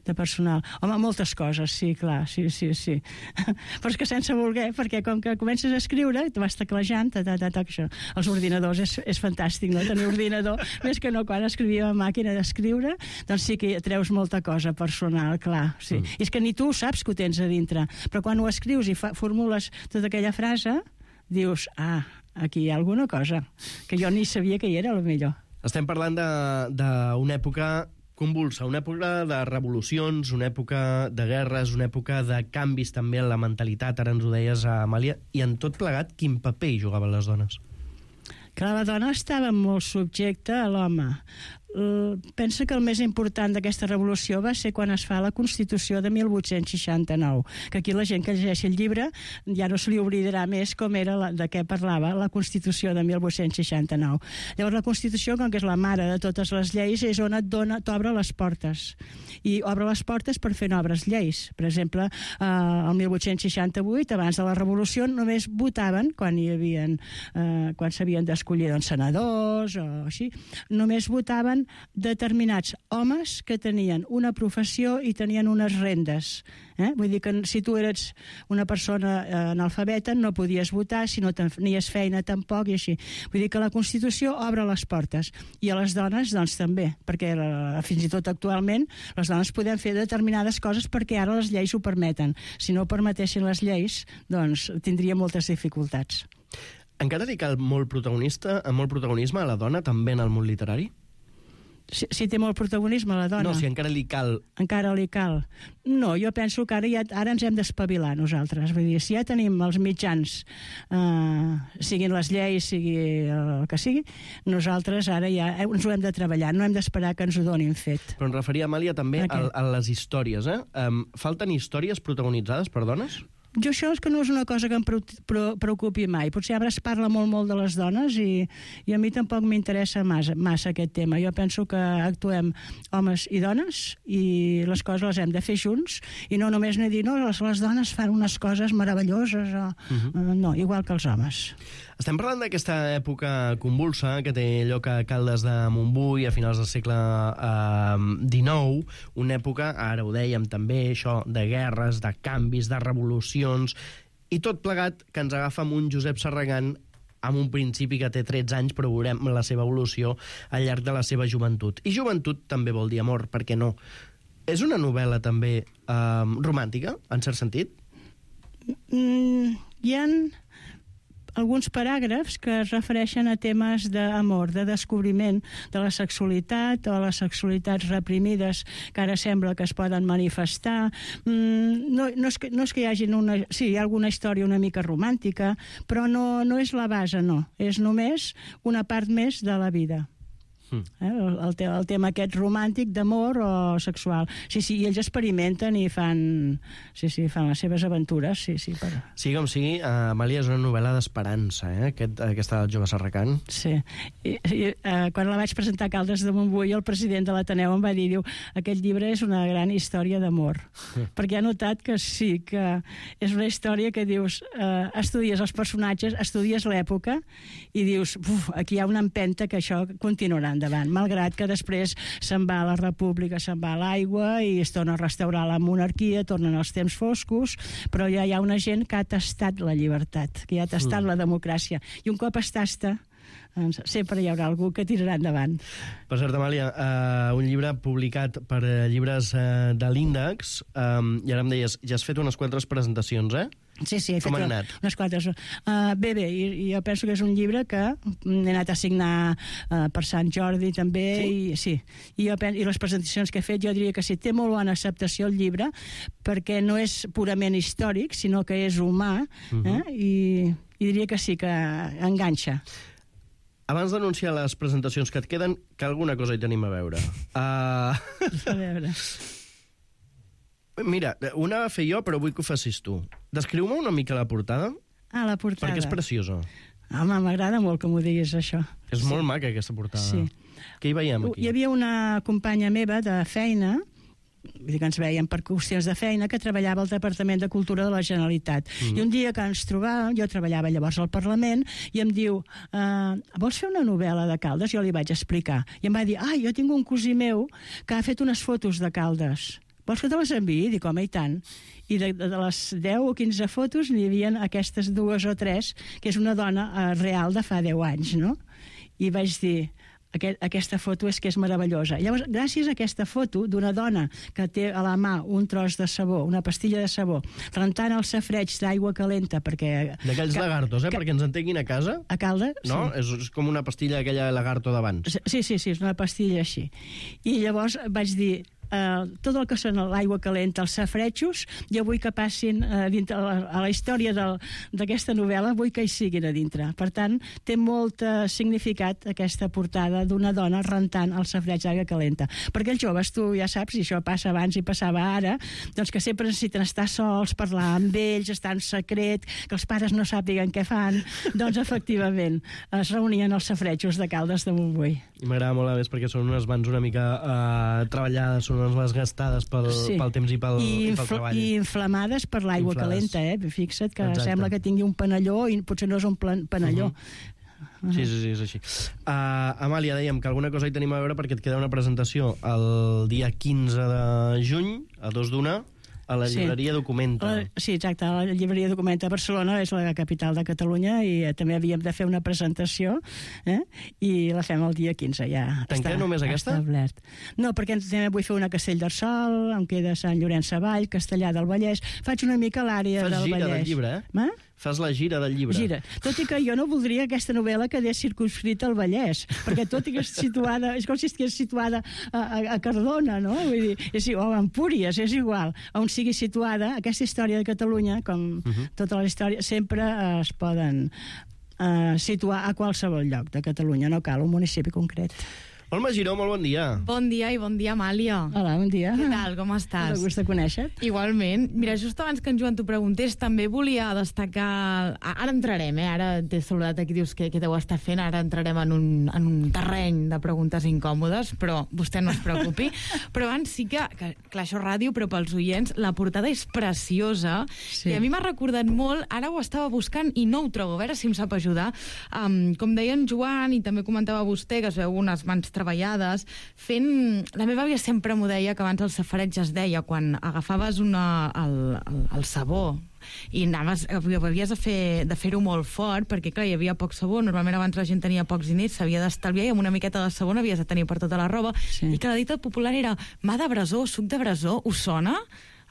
De personal. Home, moltes coses, sí, clar, sí, sí, sí. Però és que sense voler, perquè com que comences a escriure, te vas teclejant, ta, ta, ta, ta, això. Els ordinadors és, és fantàstic, no?, tenir ordinador. Més que no, quan escrivia a màquina d'escriure, doncs sí que treus molta cosa personal, clar, sí. Mm. I és que ni tu saps que ho tens a dintre, però quan ho escrius i fa, formules tota aquella frase, dius, ah, aquí hi ha alguna cosa, que jo ni sabia que hi era, a lo millor. Estem parlant d'una època convulsa, una època de revolucions, una època de guerres, una època de canvis també en la mentalitat, ara ens ho deies, Amàlia, i en tot plegat, quin paper hi jugaven les dones? Que la dona estava molt subjecta a l'home. Pensa que el més important d'aquesta revolució va ser quan es fa la Constitució de mil vuit-cents seixanta-nou, que aquí la gent que llegeixi el llibre ja no se li oblidarà més com era la, de què parlava la Constitució de mil vuit-cents seixanta-nou. Llavors la Constitució, com que és la mare de totes les lleis, és on et dona, t'obre les portes, i obre les portes per fer noves lleis. Per exemple, eh, el mil vuit-cents seixanta-vuit, abans de la revolució, només votaven, quan hi havia, eh, quan s'havien d'escollir doncs, senadors o així, només votaven determinats homes que tenien una professió i tenien unes rendes. Eh? Vull dir que si tu eres una persona eh, analfabeta no podies votar, si no tenies feina tampoc i així. Vull dir que la Constitució obre les portes i a les dones doncs també, perquè la, fins i tot actualment les dones podem fer determinades coses perquè ara les lleis ho permeten. Si no permetessin les lleis, doncs tindria moltes dificultats. Encara li cal molt protagonista, molt protagonisme a la dona també en el món literari? Si, si té molt protagonisme la dona. No, si encara li cal. Encara li cal. No, jo penso que ara, ja, ara ens hem d'espavilar nosaltres. Vull dir, si ja tenim els mitjans, eh, siguin les lleis, sigui el que sigui, nosaltres ara ja ens ho hem de treballar, no hem d'esperar que ens ho donin fet. Però em referia, Amàlia, també a, a les històries. Eh? Um, falten històries protagonitzades per dones? Jo això és que no és una cosa que em preocupi mai. Potser ara es parla molt, molt de les dones i, i a mi tampoc m'interessa massa, massa aquest tema. Jo penso que actuem homes i dones i les coses les hem de fer junts i no només no dir, no, les, les dones fan unes coses meravelloses o... Uh-huh. No, igual que els homes. Estem parlant d'aquesta època convulsa que té lloc a Caldes de Montbui a finals del segle eh, dinou, una època, ara ho dèiem també, això de guerres, de canvis, de revolucions, i tot plegat que ens agafa amb un Josep Serracant amb un principi que té tretze anys, però veurem la seva evolució al llarg de la seva joventut. I joventut també vol dir amor, per què no? És una novel·la també eh, romàntica, en cert sentit? Mm, hi ha alguns paràgrafs que es refereixen a temes d'amor, de descobriment de la sexualitat o les sexualitats reprimides que ara sembla que es poden manifestar. Mm, no, no, és que, no és que hi hagi una... Sí, hi ha alguna història una mica romàntica, però no, no és la base, no. És només una part més de la vida. Mm. Eh? El, el, te, el tema aquest romàntic d'amor o sexual. Sí, sí, i ells experimenten i fan, sí, sí, fan les seves aventures. Sí, sí, per... Sí, com sigui, uh, Amàlia, és una novel·la d'esperança, eh? Aquest, aquesta del jove Serracant. Sí. I, i, uh, quan la vaig presentar a Caldes de Montbui, el president de l'Ateneu em va dir, diu, aquest llibre és una gran història d'amor. Mm. Perquè ha notat que sí, que és una història que dius, uh, estudies els personatges, estudies l'època i dius, uf, aquí hi ha una empenta que això continuarà endavant, malgrat que després se'n va a la república, se'n va a l'aigua i es torna a restaurar la monarquia, tornen els temps foscos, però ja hi ha una gent que ha tastat la llibertat, que ja ha tastat mm. la democràcia, i un cop es tasta, doncs sempre hi haurà algú que tirarà endavant. Per cert, Amàlia, uh, un llibre publicat per uh, llibres uh, de l'Índex, um, i ara em deies, ja has fet unes quantes presentacions, eh? Sí, sí, he Com fet han anat? unes quantes. Uh, bé, bé, i, i jo penso que és un llibre que he anat a signar uh, per Sant Jordi també, sí? I, sí. I, jo penso, i les presentacions que he fet, jo diria que sí, té molt bona acceptació el llibre, perquè no és purament històric, sinó que és humà, uh-huh. eh? I, i diria que sí, que enganxa. Abans d'anunciar les presentacions que et queden, que alguna cosa hi tenim a veure. Uh... A veure... Mira, una va fer jo, però vull que ho facis tu. Descriu-me una mica la portada. Ah, la portada. Perquè és preciosa. Home, m'agrada molt que m'ho diguis, això. És sí. molt maca, aquesta portada. Sí. Què hi veiem, aquí? Hi havia una companya meva de feina, vull dir que ens veiem per qüestions de feina, que treballava al Departament de Cultura de la Generalitat. Mm. I un dia que ens trobàvem, jo treballava llavors al Parlament, i em diu, uh, vols fer una novel·la de Caldes? Jo li vaig explicar. I em va dir, ah, jo tinc un cosí meu que ha fet unes fotos de Caldes. Vols que te les enviï? Dic, home, i tant. I de, de les deu o quinze fotos n'hi havia aquestes dues o tres, que és una dona uh, real de fa deu anys, no? I vaig dir, aquest, aquesta foto és que és meravellosa. Llavors, gràcies a aquesta foto d'una dona que té a la mà un tros de sabó, una pastilla de sabó, rentant el safreig d'aigua calenta, perquè... D'aquells que, lagartos, eh? Que, perquè ens entenguin a casa. A Caldes? No? Sí. És, és com una pastilla aquella lagarto d'abans. Sí, sí, sí, és una pastilla així. I llavors vaig dir... Uh, tot el que són l'aigua calenta, els safretxos, jo vull que passin uh, dintre, a, la, a la història d'aquesta novel·la, vull que hi siguin a dintre. Per tant, té molt uh, significat aquesta portada d'una dona rentant el safreig d'aigua calenta. Perquè els joves, tu ja saps, i això passa abans i passava ara, doncs que sempre necessiten estar sols, parlar amb ells, estar en secret, que els pares no sàpiguen què fan. Doncs, efectivament, es reunien els safretxos de Caldes de Montbui. I m'agrada molt a més perquè són unes mans una mica uh, treballades, són unes mans gastades pel, sí. pel temps i pel, I, i pel treball. I inflamades per l'aigua calenta, eh? Fixa't que Exacte. Sembla que tingui un panelló i potser no és un plan, panelló. Uh-huh. Uh-huh. Sí, sí, sí, és així. Uh, Amàlia, dèiem que alguna cosa hi tenim a veure perquè et queda una presentació el dia quinze de juny, a dos d'una, a la llibreria sí. Documenta. La, sí, exacte, la llibreria Documenta a Barcelona és la capital de Catalunya i eh, també havíem de fer una presentació eh? I la fem el dia quinze, ja Tanquem està només aquesta? Establert. No, perquè també vull fer una a Castellterçol, em queda Sant Llorenç Savall, Castellà del Vallès, faig una mica l'àrea del Vallès. Fas gira del llibre, eh? Ma? Fas la gira del llibre. Gira. Tot i que jo no voldria que aquesta novel·la quedés circunscrita al Vallès, perquè tot i que és situada, és com si estigués situada a, a, a Cardona, no? Vull dir, és, o a Empúries, és igual. On sigui situada, aquesta història de Catalunya, com uh-huh. tota la història, sempre eh, es poden eh, situar a qualsevol lloc de Catalunya, no cal un municipi concret. Olma Giró, molt bon dia. Bon dia i bon dia, Amàlia. Hola, bon dia. Què tal, com estàs? És un gust de conèixer-te. Igualment. Mira, just abans que en Joan t'ho preguntés, també volia destacar... Ara entrarem, eh? Ara t'he saludat aquí, dius que, que deu estar fent, ara entrarem en un, en un terreny de preguntes incòmodes, però vostè no es preocupi. Però abans sí que, que clar, això és ràdio, però pels oients, la portada és preciosa, sí. I a mi m'ha recordat molt, ara ho estava buscant i no ho trobo, a veure si em sap ajudar. Um, com deia en Joan, i també comentava vostè, que es veu unes mans treballades, fent... La meva àvia sempre m'ho deia, que abans el safareig es deia, quan agafaves una, el, el, el sabó i anaves, havies de, fer, de fer-ho molt fort, perquè clar, hi havia poc sabó, normalment abans la gent tenia pocs diners, s'havia d'estalviar i amb una miqueta de sabó havies de tenir per tota la roba, sí. I que la dita popular era mà de brasó, suc de brasó, us sona?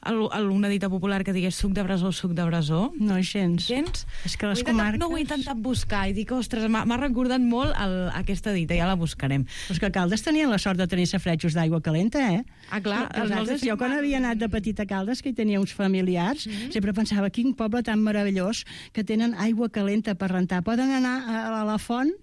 Una dita popular que digués suc de brasó, suc de brasó? No, gens. Gens? És que les ho comarques... No ho he intentat buscar i dic, ostres, m'ha recordat molt el, aquesta dita, ja la buscarem. Però és que a Caldes tenien la sort de tenir safretjos d'aigua calenta, eh? Ah, clar. Altres, jo quan havia anat de petita a Caldes, que hi tenia uns familiars, mm-hmm. sempre pensava, quin poble tan meravellós que tenen aigua calenta per rentar. Poden anar a la font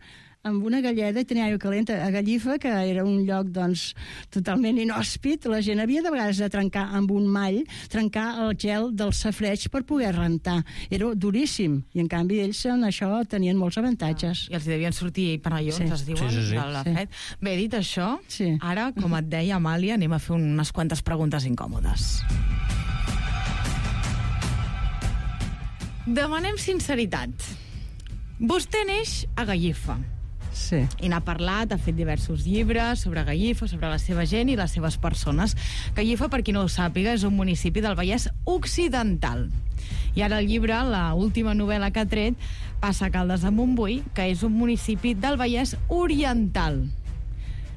amb una galleda i tenia aigua calenta a Gallifa, que era un lloc doncs, totalment inhòspit. La gent havia de vegades de trencar amb un mall, trencar el gel del safreig per poder rentar. Era duríssim, i en canvi ells en això tenien molts avantatges. I els hi devien sortir panellons, Sí. es diuen, Sí, sí, sí. de la Sí. fred. Bé, dit això, sí. ara, com et deia, Amàlia, anem a fer unes quantes preguntes incòmodes. Demanem sinceritat. Vostè neix a Gallifa. Sí. I n'ha parlat, ha fet diversos llibres sobre Gallifa, sobre la seva gent i les seves persones. Gallifa, per qui no ho sàpiga, és un municipi del Vallès Occidental. I ara el llibre, la última novel·la que ha tret, passa a Caldes de Montbui, que és un municipi del Vallès Oriental.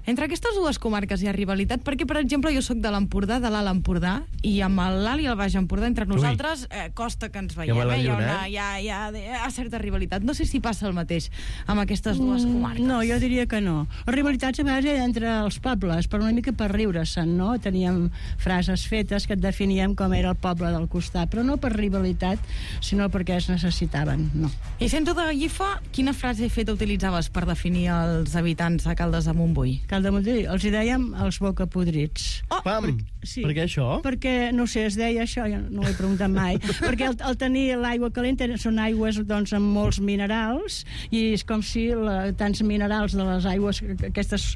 Entre aquestes dues comarques hi ha rivalitat perquè, per exemple, jo sóc de l'Empordà, de l'Alt Empordà, i amb l'Alt i el Baix Empordà, entre nosaltres, eh, costa que ens veiem. Ja me la Eh? Hi, ha lluna, una, eh? hi, ha, hi, ha, hi ha certa rivalitat. No sé si passa el mateix amb aquestes dues comarques. No, jo diria que no. Les rivalitats a vegades eren entre els pobles, però una mica per riure-se'n, no? Teníem frases fetes que et definíem com era el poble del costat, però no per rivalitat, sinó perquè es necessitaven, no. I sento de Gallifa, quina frase feta utilitzaves per definir els habitants de Caldes de Montbui? Caldes de Montbui, els hi dèiem els bocapodrits. Oh, Pam! Sí. Per què això? Perquè, no sé, es deia això, jo no ho he preguntat mai, perquè al, al tenir l'aigua calenta són aigües doncs, amb molts minerals, i és com si la, tants minerals de les aigües aquestes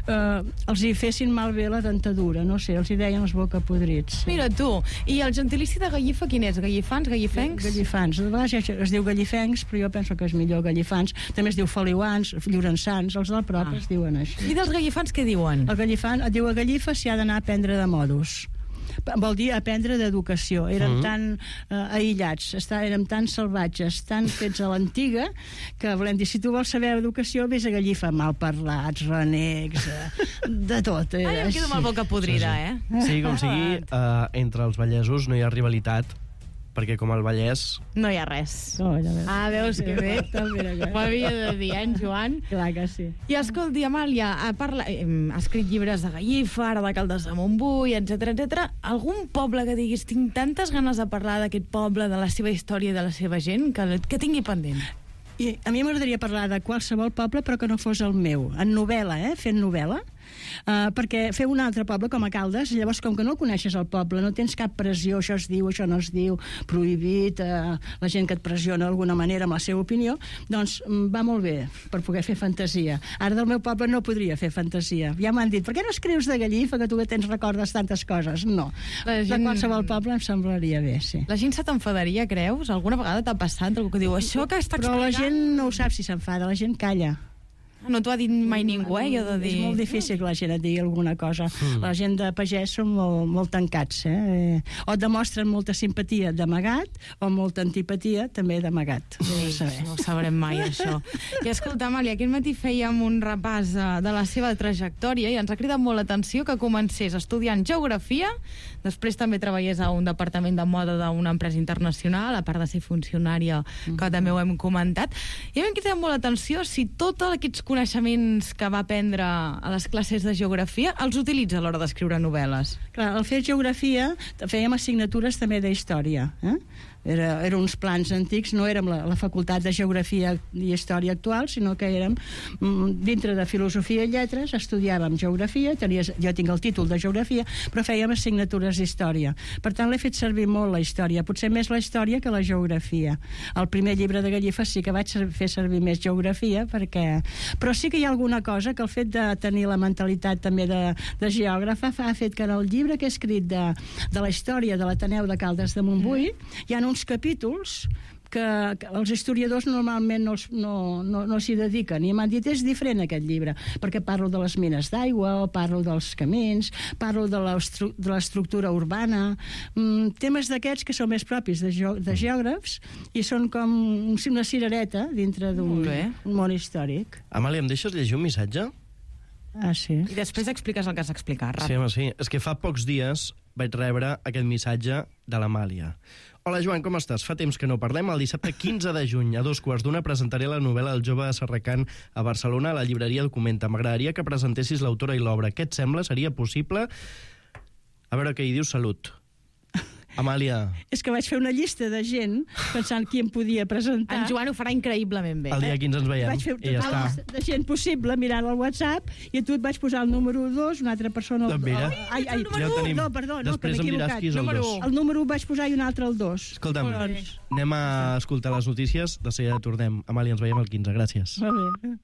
eh, els hi fessin malbé la dentadura, no sé, els hi deien els bocapodrits. Mira tu, i el gentilici de Gallifa quin és? Gallifans, gallifencs? Gallifans, de vegades es diu gallifencs, però jo penso que és millor gallifans. També es diu feliuans, llorençans, els del prop Ah. es diuen així. I dels gallifans què diuen? El gallifant et diu a Gallifa s'hi ha d'anar a aprendre de modos. Vol dir aprendre d'educació. Érem Mm. tan eh, aïllats, està, érem tan salvatges, tan fets a l'antiga, que volem dir, si tu vols saber educació, vés a Gallifa, malparlats, renecs, eh, de tot. Eh, Ai, em quedo amb la boca podrida, eh? Sí, com sigui, eh, entre els vallesos no hi ha rivalitat, perquè com al Vallès... No hi ha res. Oh, ja veus. Ah, veus que bé? També, Ho havia de dir, eh, en Joan? Clar que sí. I escolti, Amàlia, ha, parla, eh, ha escrit llibres de Gallifa, ara de Caldes de Montbui, etcètera, etcètera. Algun poble que diguis, tinc tantes ganes de parlar d'aquest poble, de la seva història i de la seva gent, que, que tingui pendent? I a mi m'agradaria parlar de qualsevol poble, però que no fos el meu. En novel·la, eh? Fent novel·la. Uh, perquè fer un altre poble com a Caldes, llavors com que no coneixes el poble, no tens cap pressió, això es diu, això no es diu, prohibit, uh, la gent que et pressiona d'alguna manera amb la seva opinió, doncs va molt bé per poder fer fantasia. Ara del meu poble no podria fer fantasia. Ja m'han dit, per què no escrius de Gallifa, que tu que tens recordes tantes coses? No. La gent... De qualsevol poble em semblaria bé, sí. La gent se t'enfadaria, creus? Alguna vegada t'ha passat algú que diu això que està Però explicant... la gent no ho sap si s'enfada, la gent calla. No t'ho ha dit mai ningú, eh? Jo de dir... És molt difícil que la gent et digui alguna cosa. Mm. La gent de pagès són molt, molt tancats, eh? O et demostren molta simpatia d'amagat, o molta antipatia també d'amagat. Sí, no ho sabrem mai, això. I escolta, Amàlia, aquest matí fèiem un repàs de, de la seva trajectòria i ens ha cridat molt l'atenció que comencés estudiant geografia, després també treballés a un departament de moda d'una empresa internacional, a part de ser funcionària, que també ho hem comentat. I a mi em crida molt l'atenció si tots aquests coneixements que va aprendre a les classes de geografia els utilitza a l'hora d'escriure novel·les. Clar, al fer geografia fèiem assignatures també d'història, eh? Era, eren uns plans antics, no érem la, la facultat de geografia i història actual, sinó que érem mm, dintre de filosofia i lletres, estudiàvem geografia, tenies, jo tinc el títol de geografia, però fèiem assignatures d'història. Per tant, l'he fet servir molt la història, potser més la història que la geografia. El primer llibre de Gallifa sí que vaig fer servir més geografia, perquè... però sí que hi ha alguna cosa que el fet de tenir la mentalitat també de, de geògrafa ha fet que en el llibre que he escrit de, de la història de l'Ateneu de Caldes de Montbui hi ha uns capítols que, que els historiadors normalment no, no, no, no s'hi dediquen, i m'han dit és diferent aquest llibre, perquè parlo de les mines d'aigua, o parlo dels camins, parlo de l'estructura urbana, mm, temes d'aquests que són més propis de, ge de geògrafs, i són com una cirereta dintre d'un món històric. Amàlia, em deixes llegir un missatge? Ah, sí. I després expliques el que has explicat, ràpid. Sí, home, sí. És que fa pocs dies vaig rebre aquest missatge de l'Amàlia. Hola, Joan, com estàs? Fa temps que no parlem. El dissabte quinze de juny, a dos quarts d'una, presentaré la novel·la El jove Serracant a Barcelona, a la llibreria Documenta. M'agradaria que presentessis l'autora i l'obra. Què et sembla? Seria possible? A veure què hi dius. Salut. Amàlia. És que vaig fer una llista de gent pensant qui em podia presentar. En Joan ho farà increïblement bé. El dia quinze ens veiem. Vaig fer I ja tota la llista de gent possible mirant el WhatsApp i a tu et vaig posar el número dos, una altra persona... El... Doncs mira, ai, ai, ja ho tenim. No, perdó, no, Després que m'he em diràs equivocat. qui és el Número dos. u. El número u vaig posar i un altre el dos. Escolta'm, Doncs... anem a escoltar les notícies, de seguida tornem. Amàlia, ens veiem el quinze, gràcies. Molt bé.